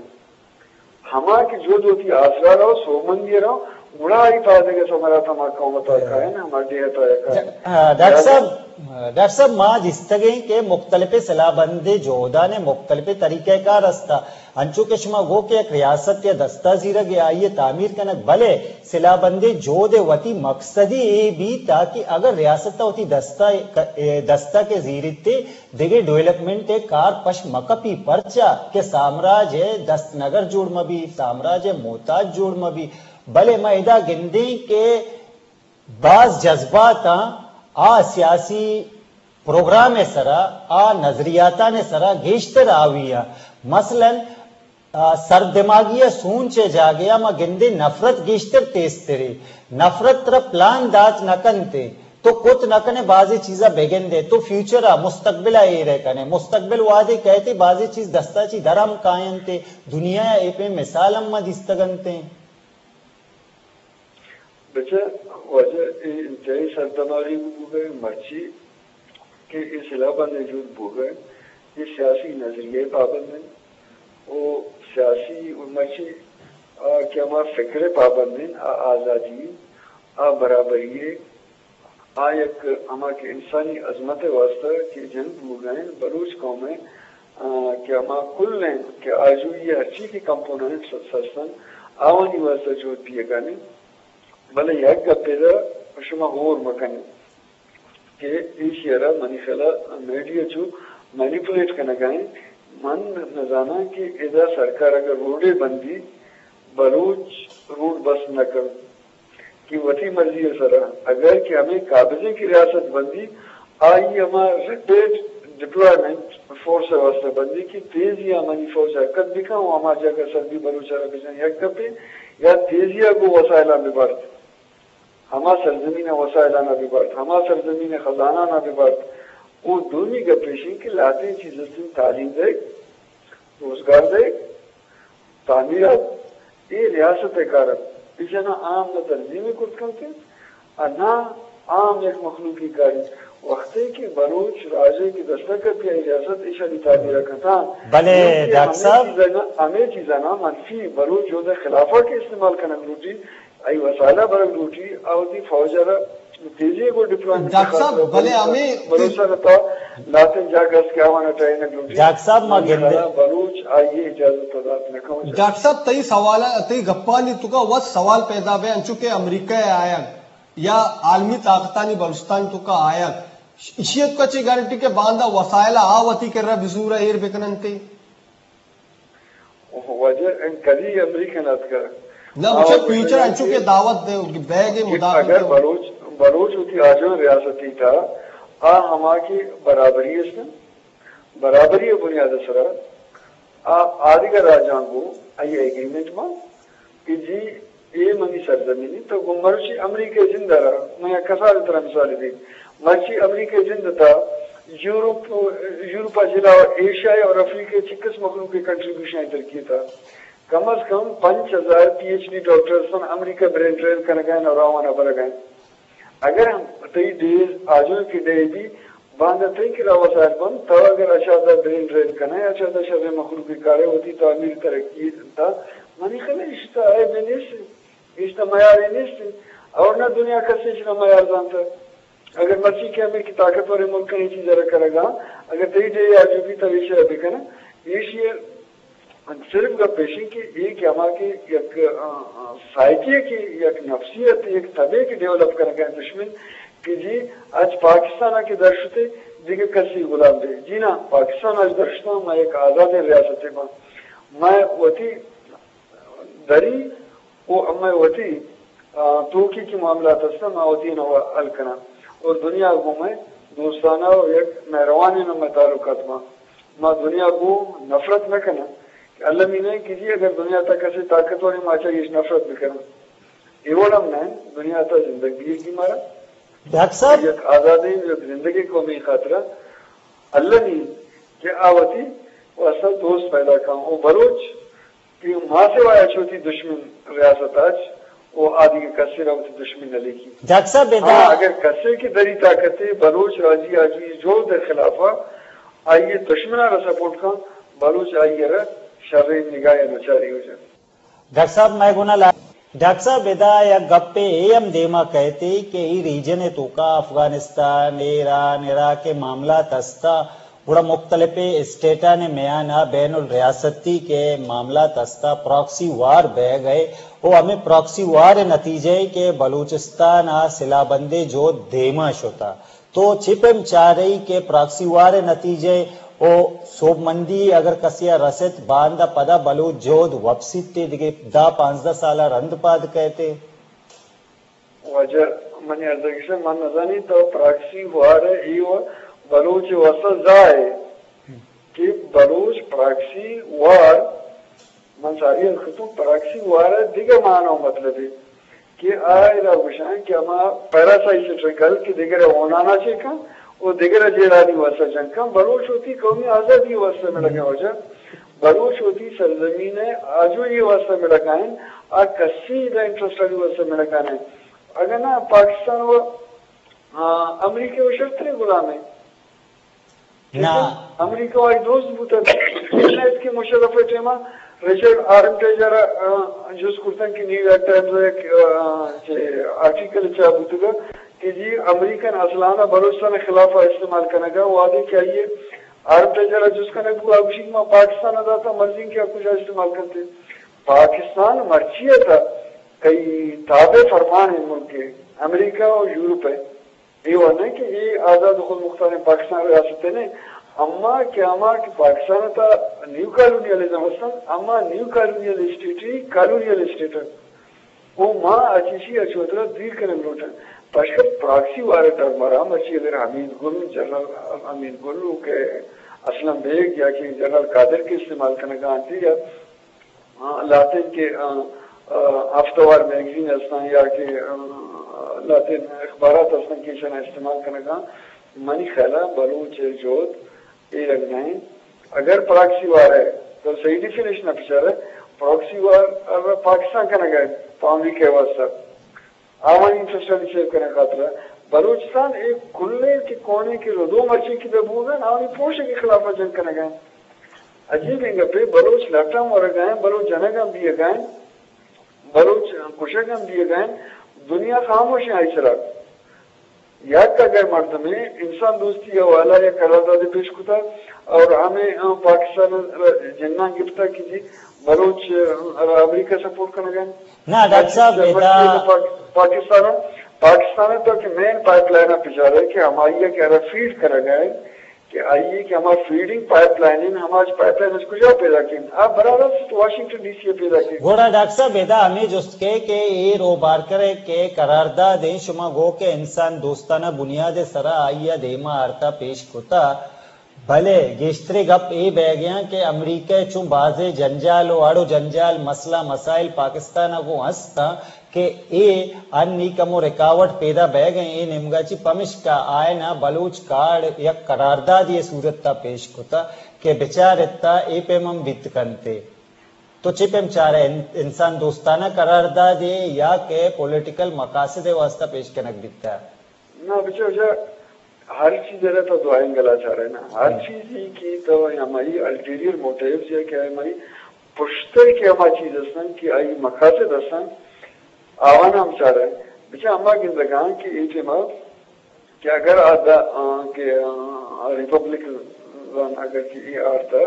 ہما کہ جہد وتی آسرا رو، سوبمندی رو، گڑا آئی پادگہ ثمرات ہما قوم تا کائن، ہما ڈیہہ تا کائن۔ ج-، آ، ڈاکٹر صاحب، ڈاکٹر صاحب، ما دیستگیں کہ مختلف سلاہ بندیں جہدان مختلف طریقہ کار استا۔ انچو کہ شما گو کہ یک ریاست یا دستہ زیرگ یا آئی تعمیر کنگ، بلے سلاہ بندیں جہد وتی مقصدی اے بیت تاکہ اگر ریاست وتی دستہ، دستہ کہ زیرتے، دگہ ڈویلپمنٹ ء کار پش مکپی، پرچا کہ سامراج ء دستنگر جوڑ مبی، سامراج ء محتاج جوڑ مبی۔ بلے ما ادا گندیں کہ باز جذباتاں آ سیاسی پروگرام ء سرا، آ نظریاتان ء سرا گیشتر آوی ء۔ مثلاً، آ، سردماگی ء سوچ ء جاگہ ء ما گندیں نفرت گیشتر تیزترے۔ نفرت ترا پلان دات نہ کنتے، تو کت نہ کنے، بازیں چیزا بگندے، تو فیوچر ء، مستقبل ء ایر ء کنے۔ مستقبل وہدے کئیتے، بازیں چیز دستا چی در ہم کاینتے۔ دنیا ء اے پہ مثال ہم ما دیستگ انتیں۔ بچہ، واجہ، اے انتہائی سردماغی بوگئے، مرچی کہ اے سلاہ بندیں جہد بوگئے، اے سیاسی نظریہ پابند انت و سیاسی و مرچی آ کہ ہما فکر پابند انت، آ آزادی، آ برابری، آ یک ہما کہ انسانی عظمت ء واستہ کہ جنگ بوگا انت، بلوچ قوم ء، آ، کہ ہما کل انت کہ آجوئی ء ہرچی کہ کمپوننٹس ہستن، آوانی واستہ جہد دیگا انت۔ بلے یک گپے دا شما ہور مکن کہ ایشی ء را منی خیال ء میڈیا چو مینیپولیٹ کنگا انت۔ من نزاناں کہ ادا سرکار اگر روڈے بندی، بلوچ روڈ بس نہ کنت۔ کہ وتی مرضی ء سرا، اگر کہ ہمے قابضیں کہ ریاست بندی، آئی ہما ریپیٹ ڈپلائمنٹ فورس ء واستہ بندی کہ تیزی ء منی فوج حرکت بکن و ہما جاگہ سربی بلوچ ء را بجن یک گپے، یا تیزی ء گوں وسائلاں ببارت، ہما سرزمین ء وسائلاناں ببارت، ہما سرزمین ء خزاناناں ببارت۔ و دومی گپ ایش انت کہ لہتیں چیز استیں تعلیم دئیگ، روزگار دئیگ، تعمیرات، اے ریاست ء کار انت۔ ایشاں نہ عام نہ تنظیمے کرت کنت انت، ء نہ عام یک مخلوقی کاری۔ وختے کہ بلوچ راجے کہ دستہ کپی آئی ریاست ایشانی تعمیر ء کتاں، بلے نوں کہ ڈاکٹر ہمے صاحب، چیزاں، ہمے چیزاں منفی بلوچ جہد ء خلافا کہ استعمال کنگ لوٹی، آئی وسائل ء برگ لوٹی، آ وتی فوج ء را تیزی ء گوں ڈپلوائمنٹ ء ڈاکٹر صاحب، خاطر ء بلے بلوچ، ہمے بلوچ ء را تا لہتیں جاگہ است کہ آوان ء ٹرینگ لوٹی۔ ڈاکٹر صاحب، ما منی گندے خیال ء بلوچ آئی ء اجازت ء دات نہ کن۔ ڈاکٹر صاحب، تئی سوال ء، تئی گپانی توکا وت سوال پیدا بے، انچو کہ امریکہ ء آیگ یا عالمی طاقتانی بلوچستان توکا آیگ، ایشی ء توکا چے گارنٹی کہ باندا وسائل ء آ وتی کرا بزور ء ایر بکننتے؟ واجہ، انت کدی امریکن اتکگ؟ نہ، آ، بچہ، فیوچر انچو کہ دعوت دے، بیگ کہ مداخلت اگر دے۔ بلوچ، بلوچ وتی آجوئیں ریاستی تا، آ ہما کہ برابری است، برابری بنیاد سرا، آ، آدگہ راجاں گوں آئی ایگریمنٹ ما کہ جی، اے منی سرزمین انت، تو گوں مرچی امریکہ جند ء را، من یک کسان ترا مثال دیت، مرچی امریکہ جند تا یورپ، یورپ ء علاوہ ایشیا اور افریقہ چکس مخلوق کے کنٹریبیوشن ترکی تا کم از کم پنچ ہزار پی ایچ ڈی ڈاکٹرز من امریکہ برین ٹرین کنگا اور آوانا برگا۔ اگر ہم تئی ڈیز آجوئی کہ ڈیہ بی، باندا تئی کرا وسائل بنت، تو اگر اچادا برین ڈرین کنئے، اچادا شریں مخلوقے کارئے، وتی تعمیر ترقی تا، منی خیال اشتا عیبے نیست، اشتا میارے نیست، اور نہ دنیا کسے اشنا میار زانتا۔ اگر مرچی کہ ہمے کہ طاقتوریں ملکاں اے چیز را کرگا، اگر تئی ڈیہ آجوئی تو ایشی بکن، ایشی صرف گپ ایش انت کہ اے کہ ہما کہ یک، آ، آ، سائیکی ء کہ یک نفسیت، یک تبے کہ ڈیولپ کنگ ء دشمن کہ جی اچ پاکستان ء کہ در شتے دگہ کسی غلام بے۔ جی نا، پاکستان اچ در شتاں ما یک آزادیں ریاستے باں۔ ما وتی دری و ہمے وتی، آ، توکی کہ معاملات ہستاں، ما وتی نوا حل کناں۔ اور دنیا گوں مئے دوستانہ و یک مہروانیں نمے تعلقات باں۔ ما دنیا گوں نفرت نہ کناں۔ کہ المی نہ کہ جی اگر دنیا تا کسے طاقتوریں ما چہ ایش نفرت بکناں۔ اے وڑ ہم نہ انت، دنیا تا زندگ بیگی مارا۔ ڈاکٹر صاحب۔ یک آزادیں، یک زندگیں قومی خاطرہ المی کہ آ وتی واسطہ دوست پیدا کن۔ او بلوچ کہ ما سوا اچ وتی دشمن ریاست اچ و آ دگہ کسے را وتی دشمن نہ لیکیت۔ ڈاکٹر صاحب، ادا ہاں، اگر کسے کہ دری طاقتے بلوچ راجی آجوئی جہد ء خلاف ء آئی ء دشمن ء را سپورٹ کن، بلوچ آئی ء را شریں نگاہ ء نچاری وجہ۔ ڈاکٹر صاحب، مئے گونا لا-، ڈاکٹر صاحب، ادا یک گپے اے ہم دیما کئیت کہ ای ریجن ء توکا افغانستان، ایران، عراق ء معاملات ہستا، گڑا مختلف اسٹیٹانی میان ء بین الریاستی کہ معاملات ہستا، پراکسی وار بئیگ ء، و ہمے پراکسی وار ء نتیجہ ء کہ بلوچستان ء سلاہ بندی جہد دیما شتا۔ تو چے پیم چارئے کہ پراکسی وار ء نتیجہ ء و سوبمندی اگر کسے ء رست، باندا پدا بلوچ جہد وپسیت ء دگہ دہ پانزدہ سال ء رند پاد کئیت ء؟ واجہ، منی عرض ء گشن، من نزانی تو پراکسی وار ء اے و بلوچ ء واسطہ زاہ ء کہ بلوچ پراکسی وار، من ساری ء کتوں، پراکسی وار ء دگہ معنی و مطلبے کہ آ ادا گوشاں کہ ہما پیراسائیکل کہ دگرے ہونانا چے کن و دگرے جیڑانی واسطہ جنگ کن، بلوچ وتی قومی آزادی واسطہ مڑگیں واجہ۔ بلوچ وتی سرزمین ء آجوئی واسطہ مڑگائیں، آ کسی دا انٹرسٹ آنی واسطہ مڑگانے۔ اگر نہ پاکستان و، آ، امریکہ و شرتریں غلامے۔ نا۔ امریکہ وائی دوست بوتگ۔ انت کہ مشرف ء ٹائم ء رچرڈ آرمٹیجر ء، آ، جست کرتن کہ نیو یارک ٹائمز ء یک، آ، چہ آرٹیکل چاپ بوتگ کہ جی امریکن اسلحہ ء بلوچستان ء خلاف ء استعمال کنگ ء وہدے کہ آئی ء آرمٹیجر ء جست کنگ بو، آ گوشی کہ ما پاکستان ء داتا، مرضی کہ آ کجا استعمال کنتے۔ پاکستان مرچی ء تا کئی تابع فرمان ء ملک ء امریکہ و یورپ ء۔ اے وڑ نہ کہ اے آزاد و خود مختاریں پاکستان ریاست نہ، اما کہ ہما کہ پاکستان تا نیو کالونیلزم ہستن، اما نیو کالونیل اسٹیٹ ہی کالونیل اسٹیٹ انت۔ او ما اچیشی اچ وترا دیر کنگ لوٹن۔ پشکہ پراکسی وار ٹرم را مرچی اگر حمید گل، جنرل حمید گل و کہ اسلم بیگ یا کہ جنرل قادر کے استعمال کنگا انت یا آ، لہتیں کہ، آ، آ، ہفتہ وار میگزین ہستاں یا کہ، آ، لہتیں اخبارات ہستاں کہ ایشاں استعمال کنگا، منی خیالا بلوچ ء جہد اے رنگ نہ انت۔ اگر پراکسی وار ہے تو صحیح ڈیفینیشن ء بچار ہے، پراکسی وار ء پاکستان کنگ ہے پہ امریکہ ء واسطہ۔ آوانی انٹرسٹانی سیو کنگ خاطر ء بلوچستان اے کلیں کہ کونے کہ ردو مرچی کہ بہ بوگن آوانی پروشے کے خلاف ء جنگ کنگ ء۔ عجیبیں گپے، بلوچ لٹ ہم ورگا ہیں، بلوچ جنگ ہم بیگا ہیں، بلوچ کشگ ہم بیگا ہیں، دنیا خاموش ہیں آئی سرا۔ یک اگر مردمے انسان دوستی حوالہ یا قرارداد پیش کتا اور ہمیں، آ، پاکستان را جنگاں گپتا کہ جی بلوچ، آ، را امریکہ سپورٹ کنگا ہیں۔ نہ، ڈاکٹر صاحب، جرمنی ادا پاک-، پاکستان، پاکستان تو کہ مین پائپ لائن پجارے کہ ہمائی کہ ارا فیڈ کرگا ہیں کہ آئی کہ ہما فیڈنگ پائپ لائن ہیں، ہما پائپ لائن اس کجا پیدا کن؟ آ براہ راست واشنگٹن ڈی سی پیدا کن۔ گڑا ڈاکٹر صاحب، ادا ہمیں جست کے کہ اے روبار کرے کہ قرارداد ہیں، شما گو کہ انسان دوستانہ بنیاد سرا آئی دیما آرتا پیش کتا، بلے گیشتریں گپ اے بیگیاں کہ امریکہ چون بازیں جنجال و اڑ و جنجال، مسئلہ مسائل پاکستان ء گوں ہستاں کہ اے ہنی کمو رکاوٹ پیدا بیگ ء اے نیمگا چی، پمشکا آئینا بلوچ کارڈ یک قراردادی صورت ء پیش کتا کہ بچارتا اے پیم ہم بیت کنتے۔ تو چے پیم چارے، ان-، انسان دوستانہ قراردادے یا کہ پولیٹیکل مقاصد واسطہ پیش کنگ بیتا؟ نہ بچو جا، ہر چیز ء را تو دو اینگل ء چارئے نا۔ ہر چیزی کہ تو ہمائی الٹیریئر موٹیوز یا کہ ہمائی پشتر کہ ہما چیز ہستن کہ آئی مقاصد ہستن، آوان ہم چارئے۔ بچہ ہما گندگاں کہ اے ٹیم ء کہ اگر آ دا، آ، کہ، آ، ریپبلکن اگر کہ اے آرتا،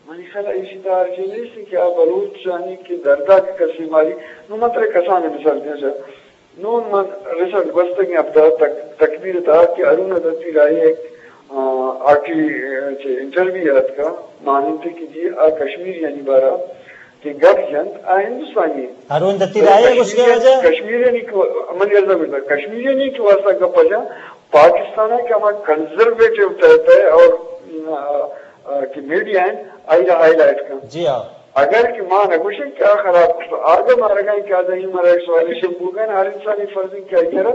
منی خیال ء ایشی تہا ہرچی نیست کہ آ بلوچانی کہ دردا کہ کسی ماری، نو من ترے کسانیں مثال دیاں چہ نون من ریسنٹ گوستگیں ہفتہ تک تکبیر تہا کہ ہارون دتی راہی ایک، آ، آٹی، آ، چہ انٹرویو اتکا، ماننتے کہ جی آ کشمیریانی بارا کہ گپ جنت، آ ہندوستانی انت۔ ہارون دتی تو راہی کشمیریت، گوشگے واجہ؟ کشمیریانی کہ، من یلدا گوشتا، کشمیریانی کہ واسطہ گپ جن، پاکستان ہے کہ ہما کنزرویٹو ٹائپ ہے اور، آ، آ، کہ میڈیا ہیں، آئی ہائی لائٹ کن۔ جی ہاں۔ اگر کہ ما نہ گوشیں کہ آ خراب کت، آ دہ مارگا کہ آ دہ ہیومن رائٹس وائلیشن بوگن، ہر انسانی فرض ہے کہ آئی کرا،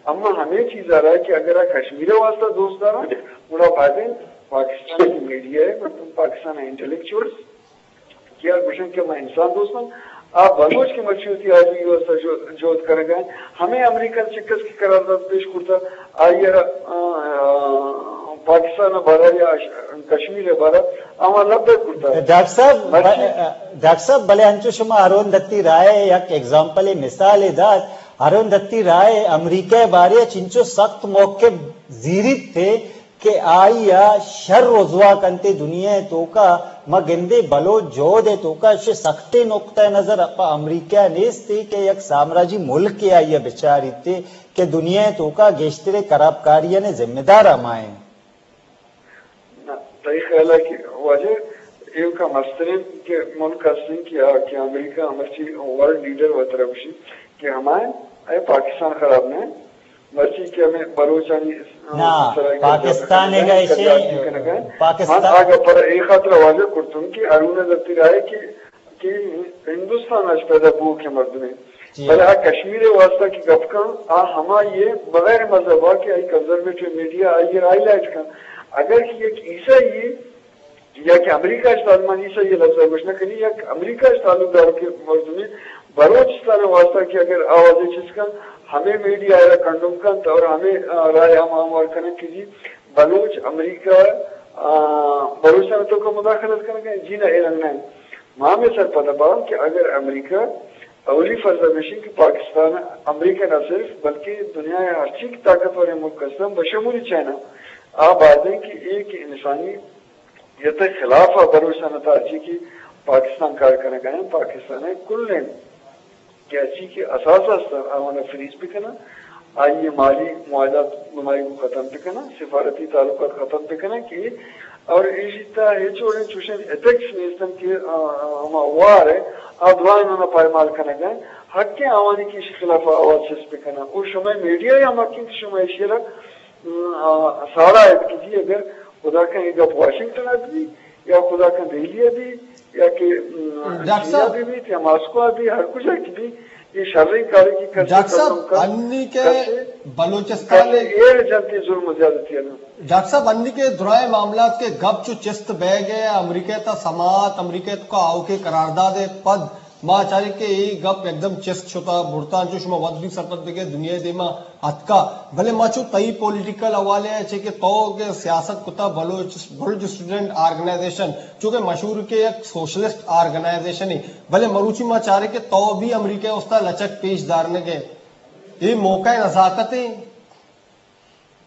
اما ہمیں چیز آ رہا ہے کہ اگر آ کشمیر واسطہ دوست دارا، گڑا بایدیں پاکستان کی میڈیا ہے، مردم پاکستان انٹلیکچوئلز، کہ آ گوشن کہ ما انسان دوستاں، آ بلوچ کہ مرچی وتی آجوئی واسطہ جو-، جہد کنگا انت، ہمے امریکہ چکس کہ قرارداد پیش کرتا، آئی ء را، آ، آ، پاکستان ء بارہ یا ش-، کشمیر ء بارہ آواں لبیک کرتا۔ ڈاکٹر صاحب، مرچی ب-، ڈاکٹر صاحب، بلے انچو شما ارون دتی رائے یک ایگزامپل، مثال دات، ارون دتی رائے امریکہ ء بارے چنچو سخت موقف زیریت تھے کہ آئی ء شر رزوا کنتے دنیا ء توکا۔ ما گندے بلوچ جہد ء توکا اشی سختیں نقطہ نظر پہ امریکہ ء نیست کہ یک سامراجی ملک ء آئی ء بچاریت کہ دنیا ء توکا گیشتریں خرابکاریانی ذمہ دار ہما انت۔ نہ، تئی خیال ء کہ واجہ ایوکا مستریں کہ ملک ہستیں کہ آ، کہ امریکہ مرچی ورلڈ لیڈر وترا گوشی کہ ہمائیں اے پاکستان خراب نہ انت۔ مرچی کہ ہمیں بلوچانی، آ، نا، سرا کہ پاکستان جبر ء گا کنگا، ایشی، زیادتی کنگا۔ پاکستان من آگا پر اے خاطر واضح کرتوں کہ ارون دتی رائے کہ، کہ ہندوستان اچ پیدا بو کے مردمے۔ جی۔ بلے آ کشمیر واسطہ کہ گپ کن، آ ہما یہ بغیر مذہب آ کہ آئی کنزرویٹو میڈیا آئی ہائی لائٹ کن۔ اگر کہ یک عیسائی یا کہ امریکہ اچ تعلق، من عیسائی لفظ گوش نہ کنی، یک امریکہ اچ تعلق دار کہ مردمے بلوچستان واسطہ کہ اگر آوازے چیز کن، ہمیں میڈیا را کنڈم کنت اور ہمیں، آ، رائے ہم ہموار کنن کہ جی بلوچ امریکہ، آ، بلوچستان تو کا مداخلت کنگا، جی نہ اے رنگ نہ۔ ما ہمیں سرپد باں کہ اگر امریکہ اولی فرض ہمیشی کہ پاکستان امریکہ نہ صرف بلکہ دنیا ہر چی کہ طاقتور ملک ہستن بشمول چائنا آ بازیں کہ ایک انسانی یتہ خلاف ء بلوچستان ء تہا چی کہ پاکستان کار کنگ ء انت، پاکستان ء کلیں کہ چی کہ اثاثہ است آوان ء فریز بکناں، آئی ء مالی معاہدات گمائی کو ختم بکناں، سفارتی تعلقات ختم بکناں کہ اور ایشی تہا ہچ وڑیں چوشیں ایتھکس نیستن کہ، آ، آ، ہما وار ء آ درائیں آناں پائمال کنگ ء انت، حق ء آوانی کہ ایشی خلاف آواز چست بکناں۔ او شمئے میڈیا یا ہم حق انت کہ شما ایشی را، م، آ، ساڑا ات کہ جی اگر خدا کن اے گپ واشنگٹن ء بہ بیت یا خدا کن دہلی ء بیت یا کہ، م، ڈاکٹر چین ء صاحب، بہ بیت یا ماسکو ء بیت، ہر کجا کہ بیت، اے شریں کارے کہ کسے ڈاکٹر صاحب، کتم کن، انی کہ کسے، بلوچستان کسے ایر جنتی ظلم و زیادتی ء نہ۔ ڈاکٹر صاحب، انی کہ درائیں معاملات کے گپ چو چست بہ گئے، امریکہ تا سماعت، امریکہ تو کا آؤکے قرارداد پد ما چاریں کہ اے گپ یکدم چست شتا، برتا، انچو شما وت بھی سرپد بگئے، دنیا دیما اتکا۔ بلے ما چو تئی پولیٹیکل حوالے ء چہ کہ تو کہ سیاست کتا، بلوچ، بلوچ اسٹوڈنٹ آرگنائزیشن، چونکہ مشہور کہ یک سوشلسٹ آرگنائزیشن ہے، بلے مروچی ما چاریں کہ تو بھی امریکہ استا لچک پیش دارنگے۔ اے موقع نزاکت ہے۔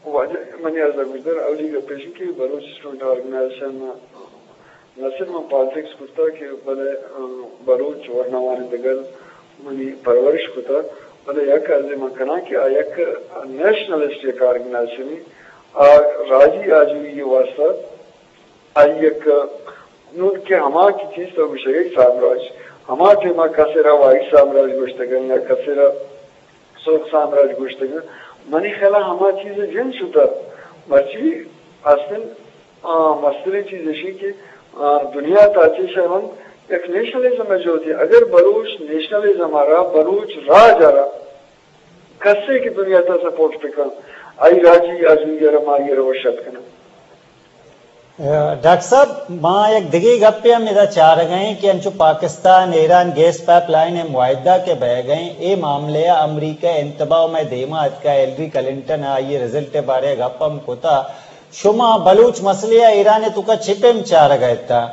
واجہ منی عرض ء گوشدار، اولی گپ ایش کہ بلوچ اسٹوڈنٹ آرگنائزیشن نہ صرف من پالیٹکس کرتا کہ بلے، آ، بلوچ ورناوانی دگل منی پرورش کتا، بلے یک عرض من کناں کہ آ یک نیشنلسٹ یک آرگنائزیشن، آ راجی آجوئی واسطہ آئی یک نون کہ ہما کہ چیز تو گوشگ ء سامراج، ہما ٹیما کسے را وائٹ سامراج گوشتگ یا کسے را سرخ سامراج گوشتگ۔ منی خیال ء ہما چیز جن شتہ۔ مرچی اصل، آ، مستریں چیز اشی کہ، آ، دنیا تا چہ شہ ہم یک نیشنلزم ء جہدی۔ اگر بلوچ نیشنلزم ء را، بلوچ راج ء را کسے کہ دنیا تا سپورٹ بکن، آئی راجی آجوئی ء را ما آئی ء را وش اتک کناں۔ ڈاکٹر صاحب، ما یک دگہ گپے ہم ادا چارگ ء ایں کہ انچو پاکستان ایران گیس پائپ لائن ء معاہدہ کہ بئیگ ء ایں، اے معاملہ ء امریکہ انتباہ مئے دیما اتکا، ہلری کلنٹن ء آئی ء رزلٹ ء بارے ء گپ ہم کتا۔ شما بلوچ مسئلہ ء ایران ء توکا چے پیم چارگ ء اتاں؟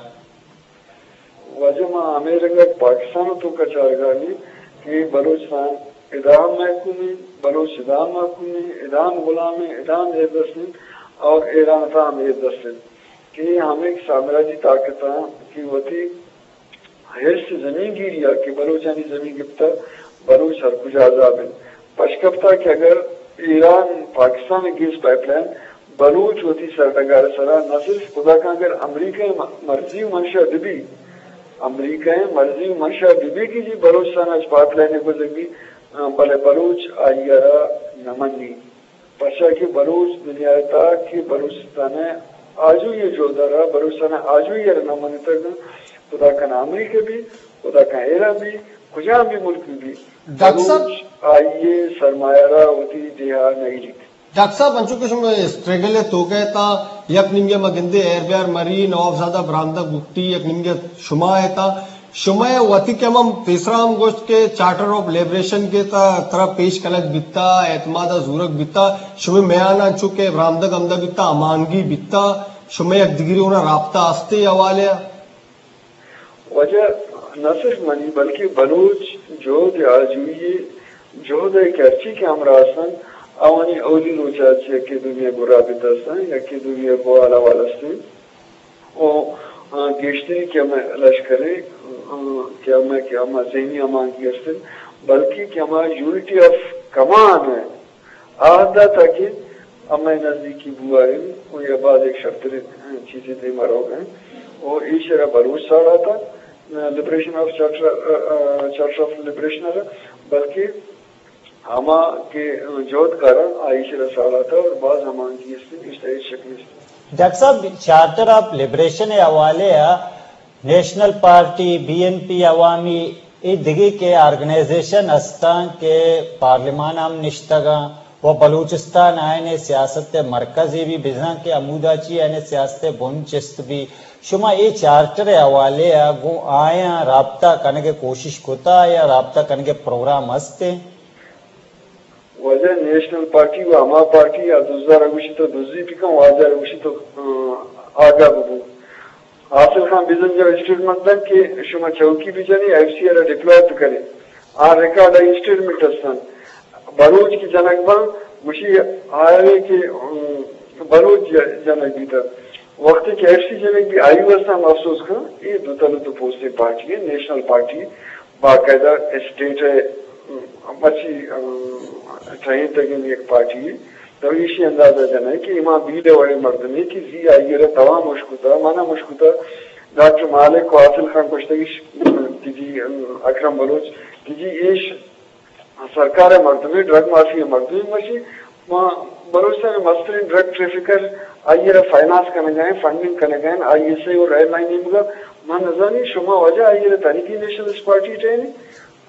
واجہ ما ہمے رنگ ء پاکستان ء توکا چارگ ء ایں کہ بلوچستان ادا ہم محکوم انت، بلوچ ادا ہم محکوم انت، ادا ہم غلام انت، ادا ہم زیر دست انت اور ایران ء تہا ہم زیر دست انت کہ ہمے سامراجی طاقتاں کہ وتی حرص زمین گیری ء کہ بلوچانی زمین گپتہ، بلوچ ہر کجا عذاب انت۔ پشکپتہ کہ اگر ایران پاکستان ء گیس پائپ لائن بلوچ وتی سرڈگار ء سرا نہ صرف خدا کن اگر امریکہ ء م-، مرضی و منشا بہ بی، امریکہ ء مرضی و منشا بہ بی کہ جی بلوچستان ء اچ پائپ لائن ء گوزگ بی، آ، بلے بلوچ آئی ء را نہ منی۔ پرچا کہ بلوچ دنیا ء تہا کہ بلوچستان ء آجوئی ء جہد ء را، بلوچستان ء آجوئی ء را نہ منتگ، خدا کن امریکہ بی، خدا کن ایران بی، کجام بی ملک بی، ڈاکٹر صاحب، بلوچ آئی ء سرمایہ را وتی دیہا نہ ایریت۔ ڈاکٹر صاحب، انچو کہ شما اسٹرگل ء توکا اتاں، یک نیمگے ما گندے ایر بیار مری، نواب زادہ، براندہ گٹی، یک نیمگے شما اتاں۔ شمئے وتی کہ من پیسرا ہم گوشت کہ چارٹر آف لبریشن کہ تا ترا پیش کنگ بیتا، اعتماد ء زورگ بیتا، شمئے میان انچو کہ برامدگ ہمدا بیتا، ہمانگی بیتا، شمئے یک دگری اونا رابطہ استے حوالے ء؟ واجہ، نہ صرف منی بلکہ بلوچ جہد آجوئی جہد ء کہ ہرچی کہ ہمراہ استن، آوانی اولی روچ ء چہ یکے دومی ء گورا بیتا استن، یکے دومی ء گوال احوال استن۔ و، آ، گیشتری کہ ہمے لشکر ء، آ، کہ ہمے، کہ ہما ذہنی ہمانگی است انت، بلکہ کہ ہما یونٹی آف کمانڈ ء آہدا تاکہ ہمے نزدیکی بوہا انت و یا باز ایک شرتریں چیزے دیما روگ ء انت۔ و ایشرا بلوچ ساڑاتا، لبریشن آف چارٹر، آ، آ، چارٹر آف لبریشن ء، بلکہ ہما کہ جہد کاراں آ ایشرا ساڑاتا اور باز ہمانگی است انت، ایشرا ہچ شک نیست۔ ڈاکٹر صاحب، چارٹر آف لبریشن ء حوالے ء نیشنل پارٹی، بی این پی عوامی، اے دگہ کہ آرگنائزیشن استاں کہ پارلیمان ہم نشتگاں و بلوچستان آئین سیاست ء مرکزے بھی بزاں کہ ہمودا چی آئین سیاست ء بن چست بھی۔ شما اے چارٹر ء حوالے ء گوں آیاں رابطہ کنگ ء کوشش کتا یا رابطہ کنگ ء پروگرام است؟ واجہ، نیشنل پارٹی و ہما پارٹی ء دزا را گوشی تو دزی بکن، واجہ را گوشی تو، آ، آگاہ ببو۔ حاصل خان بزنجو اسٹیٹمنٹ دنت کہ شما چوکی بجنی، ایف سی ء را ڈپلوائے بکنی۔ آ ریکارڈ ء اسٹیٹمنٹ استن۔ بلوچ کہ جنگ باں، گوشی آئے کہ، ام، بلوچ ج-، جنگ بیتہ۔ وقتی کہ ایف سی جنگ بی آئی واسطہ ہم افسوس کن، اے دو تل دو پوستیں پارٹی ہے، نیشنل پارٹی باقاعدہ اسٹیٹ ہے، ام، مرچی، ام، ٹرین تک یک پارٹی ہے۔ تو ایشی اندازہ جنائے کہ امام بیل وڑیں مردمے کہ زی آئی را توام مشکتا، منا مشکتا، ڈاکٹر مالک و حاصل خان کشتگیش، تجی، ام، اکرم بلوچ، تجی ایش سرکار ء مردمے، ڈرگ مافیا ء مردمے، مشی ما بلوچستان ء مستریں ڈرگ ٹریفکر، آئی ء را فائنانس کنگ ء، فنڈنگ کنگ ء، آئی ایس آئی اور ایم آئی نیمگ ء۔ من نزانی شما واجہ آئی ء را تنیگی نیشنلسٹ پارٹی ٹہینی،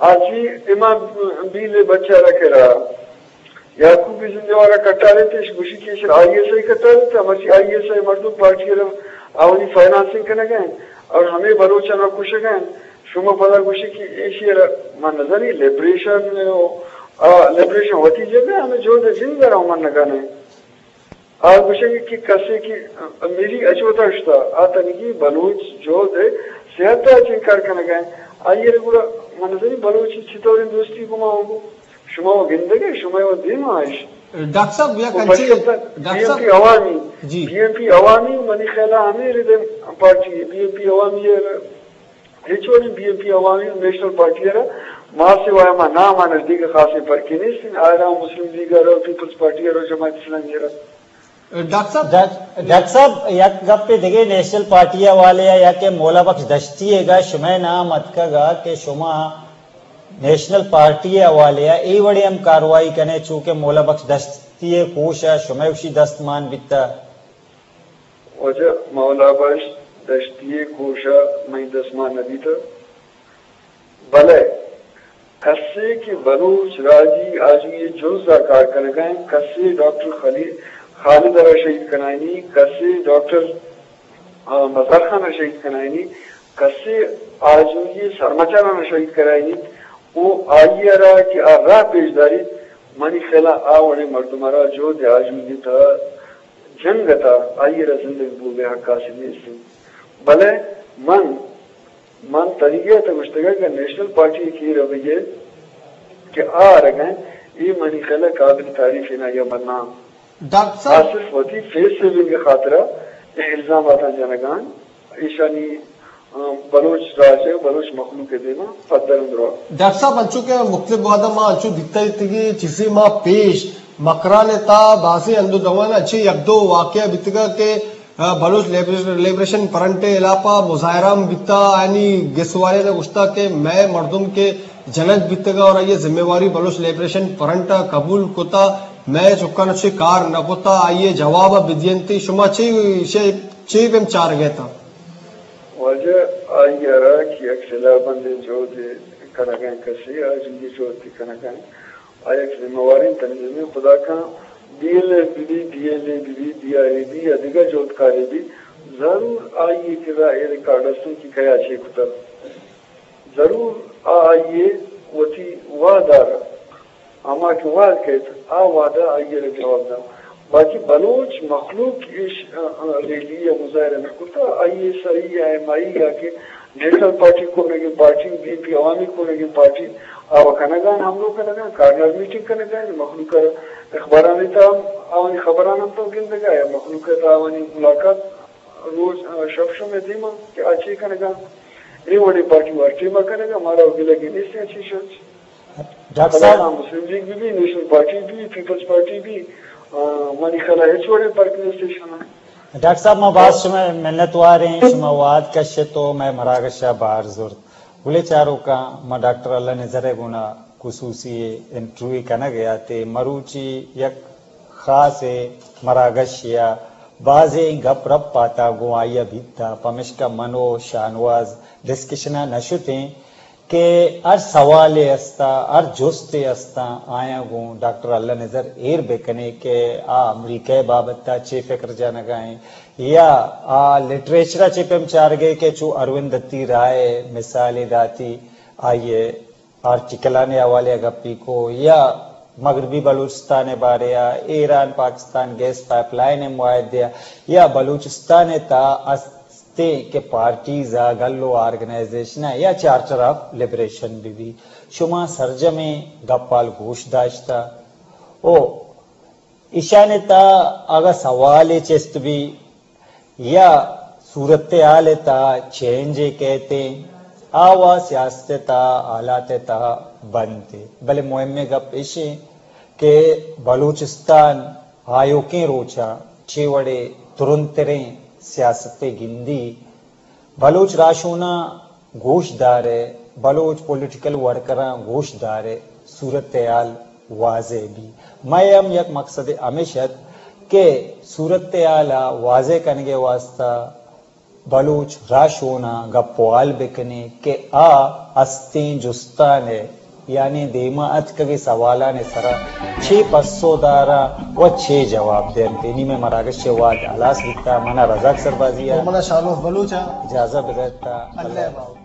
آجی امام بیل ء بچہ را کرا یعقوب زندہ وارا کٹارے تش گوشی کہ ایشر آئی ایس آئی کٹارے تا، مرچی آئی ایس آئی مردم پارٹی ء را آوانی فائنانسنگ کنگ ء اور ہمیں بلوچاں را کشگ ء۔ شما پدا گوشی کہ ایشی ء را من نزانی لبریشن، آ، لبریشن وتی جگہ ء ہمیں جہد ء زند ء را من نگانے۔ آ گوشگ کہ کسے کہ میری اچوتا شتا، آ تنگی بلوچ جہد ء صحت ء چنکار کنگ ء۔ آئی ء را گڑا من نزانی بلوچ چطوریں دوستی گما ہوگو۔ شما و گندگ ء، شما و دیم ء اش۔ ڈاکٹر صاحب، یک و انچیں، پشکپتن ڈاکٹر بی این پی صاحب۔ عوامی، جی۔ بی این پی عوامی منی خیال ء ہمیں ردیں پارٹی ہے۔ بی این پی عوامی ء ہچ وڑیں بی این پی عوامی و نیشنل پارٹی ء را ما سوائے ما نام ء نزدیک خاصیں فرقے نیست۔ آئرا مسلم لیگ ء را، پیپلز پارٹی ء را، جماعت اسلامی ء را۔ ڈاکٹر صاحب۔ ڈاک-، ڈاکٹر صاحب، یک گپے دگہ نیشنل پارٹی ء حوالے ء یا کہ مولا بخش دشتی ء گا شمئے نام اتکگ ء کہ شما نیشنل پارٹی ء حوالے ء اے وڑیں ہم کاروائی کنے چو کہ مولا بخش دشتی ء کوش ء شمئے گوشی دست مان بیتہ؟ واجہ، مولا بخش دشتی ء کوش ء منی دست مان نہ بیتہ۔ بلے کسے کہ بلوچ راجی آجوئی ء جنز ء کار کنگ ء انت، کسے ڈاکٹر خلی-، خالد ء را شہید کنائینی، کسے ڈاکٹر، آ، مظہر خان ء شہید کنائینی، کسے آجوئی ء سرمچاراں شہید کنائینی، او آئی ء را کہ آ راہ پیش داریت، منی خیال ء آ وڑیں مردم ء را جہد ء آجوئی ء تہا جنگ ء تہا آئی ء را زندگ بوگ ء حق حاصل نیست انت۔ بلے من من تنیگہ ء تہ گوشتگ کہ نیشنل پارٹی ء کیر ء بہ کہ آ آرگ ء انت، اے منی خیال ء قابل تعریف انت یا بدنام۔ ڈاکٹر آ صاحب۔ صرف وتی فیس سیونگ ء خاطر ء اے الزاماتاں جنگ ء انت، ایشانی، آ، بلوچ راج ء بلوچ مخلوق ء دیما پدر اندر۔ ڈاکٹر صاحب، انچو کہ مختلف وہداں ما انچو دیتا اتگی چیزے ما پیش مکران ء تا بازیں ہند و دوان انچیں یک دو واقعہ بیتگا کہ بلوچ لبریش-، لبریشن فرنٹ ء ہلاپ ء مظاہرہ ہم بیتا، آیانی گسواریناں گوشتا کہ مئے مردم کہ جنگ بیتگا اور آئی ء ذمہ واری بلوچ لبریشن فرنٹ ء قبول کتا، مئے چکاں چے کار نہ کتا، آئی ء جواب ء بدینت۔ شما چے، چے، چے بیم چارگ ء تا؟ واجہ، آئی ء را کہ یک سلاہ بندیں جہدے کنگ ء کسے، آ جنگی جہدے کنگ ء آ یک ذمہ واریں تنظیمے، خدا کن بی ایل ایف بہ بی، بی ایل اے بہ بی، بی آئی اے بی یا دگہ جہدکارے بی، ضرور آئی ء کرا اے ریکارڈ است انت کہ کیا چے کتگ۔ ضرور آ آئی ء وتی وعدہ را، ہما کہ وعد کیت، آ وعدہ آئی ء را جواب دنت۔ باقی بلوچ مخلوق ایش، آ، آ، ریلی ء مظاہرہ نہ کرتا، آئی ء سر ای ایم آئی یا کہ نیشنل پارٹی کنگیں پارٹی، بی این پی عوامی کنگیں پارٹی، آ و کنگان، حملو کنگان، کارنر میٹنگ کنگان، مخلوق ء اخبارانی تہا ہم آوانی خبران ہم تو گندگا یا مخلوق ء تہا آوانی ملاقات روچ، آ، شپ شمئے دیما کہ آ چے کنگا، اے وڑیں پارٹی وار ٹیما کنگا، مارا و گلگی نیست ایں چیشاں۔ ڈاکٹر صاحب، خدا مسلم لیگ بی بی، نیشنل پارٹی بی، پیپلز پارٹی بی، آ، منی خیالا ہچ وڑیں فرق نیست ایشانا۔ ڈاکٹر صاحب، ما باز شمئے منتوار ایں، شما وہد کشت و مئے مراگشا بہر زرت۔ بلے چاروکاں، ما ڈاکٹر اللہ نزر ء گونا خصوصی انٹرویو کنگ ء آتے، مروچی یک خاص ء مراگش یا بازیں گپ رپ آتا گوں آئی ء بیتا، پمشکا من و شاہنواز ڈسکشن ء نہ شتیں کہ ہر سوالے استا، ہر جستے استا، آیاں گوں ڈاکٹر اللہ نزر ایر بکنے کہ آ امریکہ ء بابت ء چے فکر جنگا ایں یا آ لٹریچر ء چے پیم چارگے کہ چو اروند دتی رائے مثالے داتی، آئی ء آرٹیکلانی حوالے ء گپی کو یا مغربی بلوچستان ء بارے ء ایران پاکستان گیس پائپ لائن ء معاہدے ء یا بلوچستان ء تہا استیں کہ پارٹیز ء گل و آرگنائزیشن ء یا چارٹر آف لبریشن بہ بی، شما سرجمیں گپال گوش داشتہ او ایشانی تہا اگاں سوالے چست بی یا صورتحال ء تہا چینج ء کیت ایں، آ وا سیاست ء تہا حالات ء تہا بنت۔ بلے مہمیں گپ اش ایں کہ بلوچستان آیوکیں روچاں چے وڑے ترندتریں سیاست ء گندی، بلوچ راہشوناں گوش دارئے، بلوچ پولیٹیکل ورکراں گوش دارئے، صورتحال واضح بی۔ مئے ہم یک مقصد ہمیش ات کہ صورتحال ء واضح کنگ ء واستہ بلوچ راہشوناں گپ و ہال بکنیں کہ آ استیں جستان ء یعنی دیما اتکگیں سوالانی سرا چے پسو داراں و چے جواب دینت۔ نی مئے مراگش ء وہد ہلاس بیتا۔ منا رزاق سربازی ء و منا شاہنواز بلوچ ء اجازت بدئیت۔ اللہ اللہ باہوٹ۔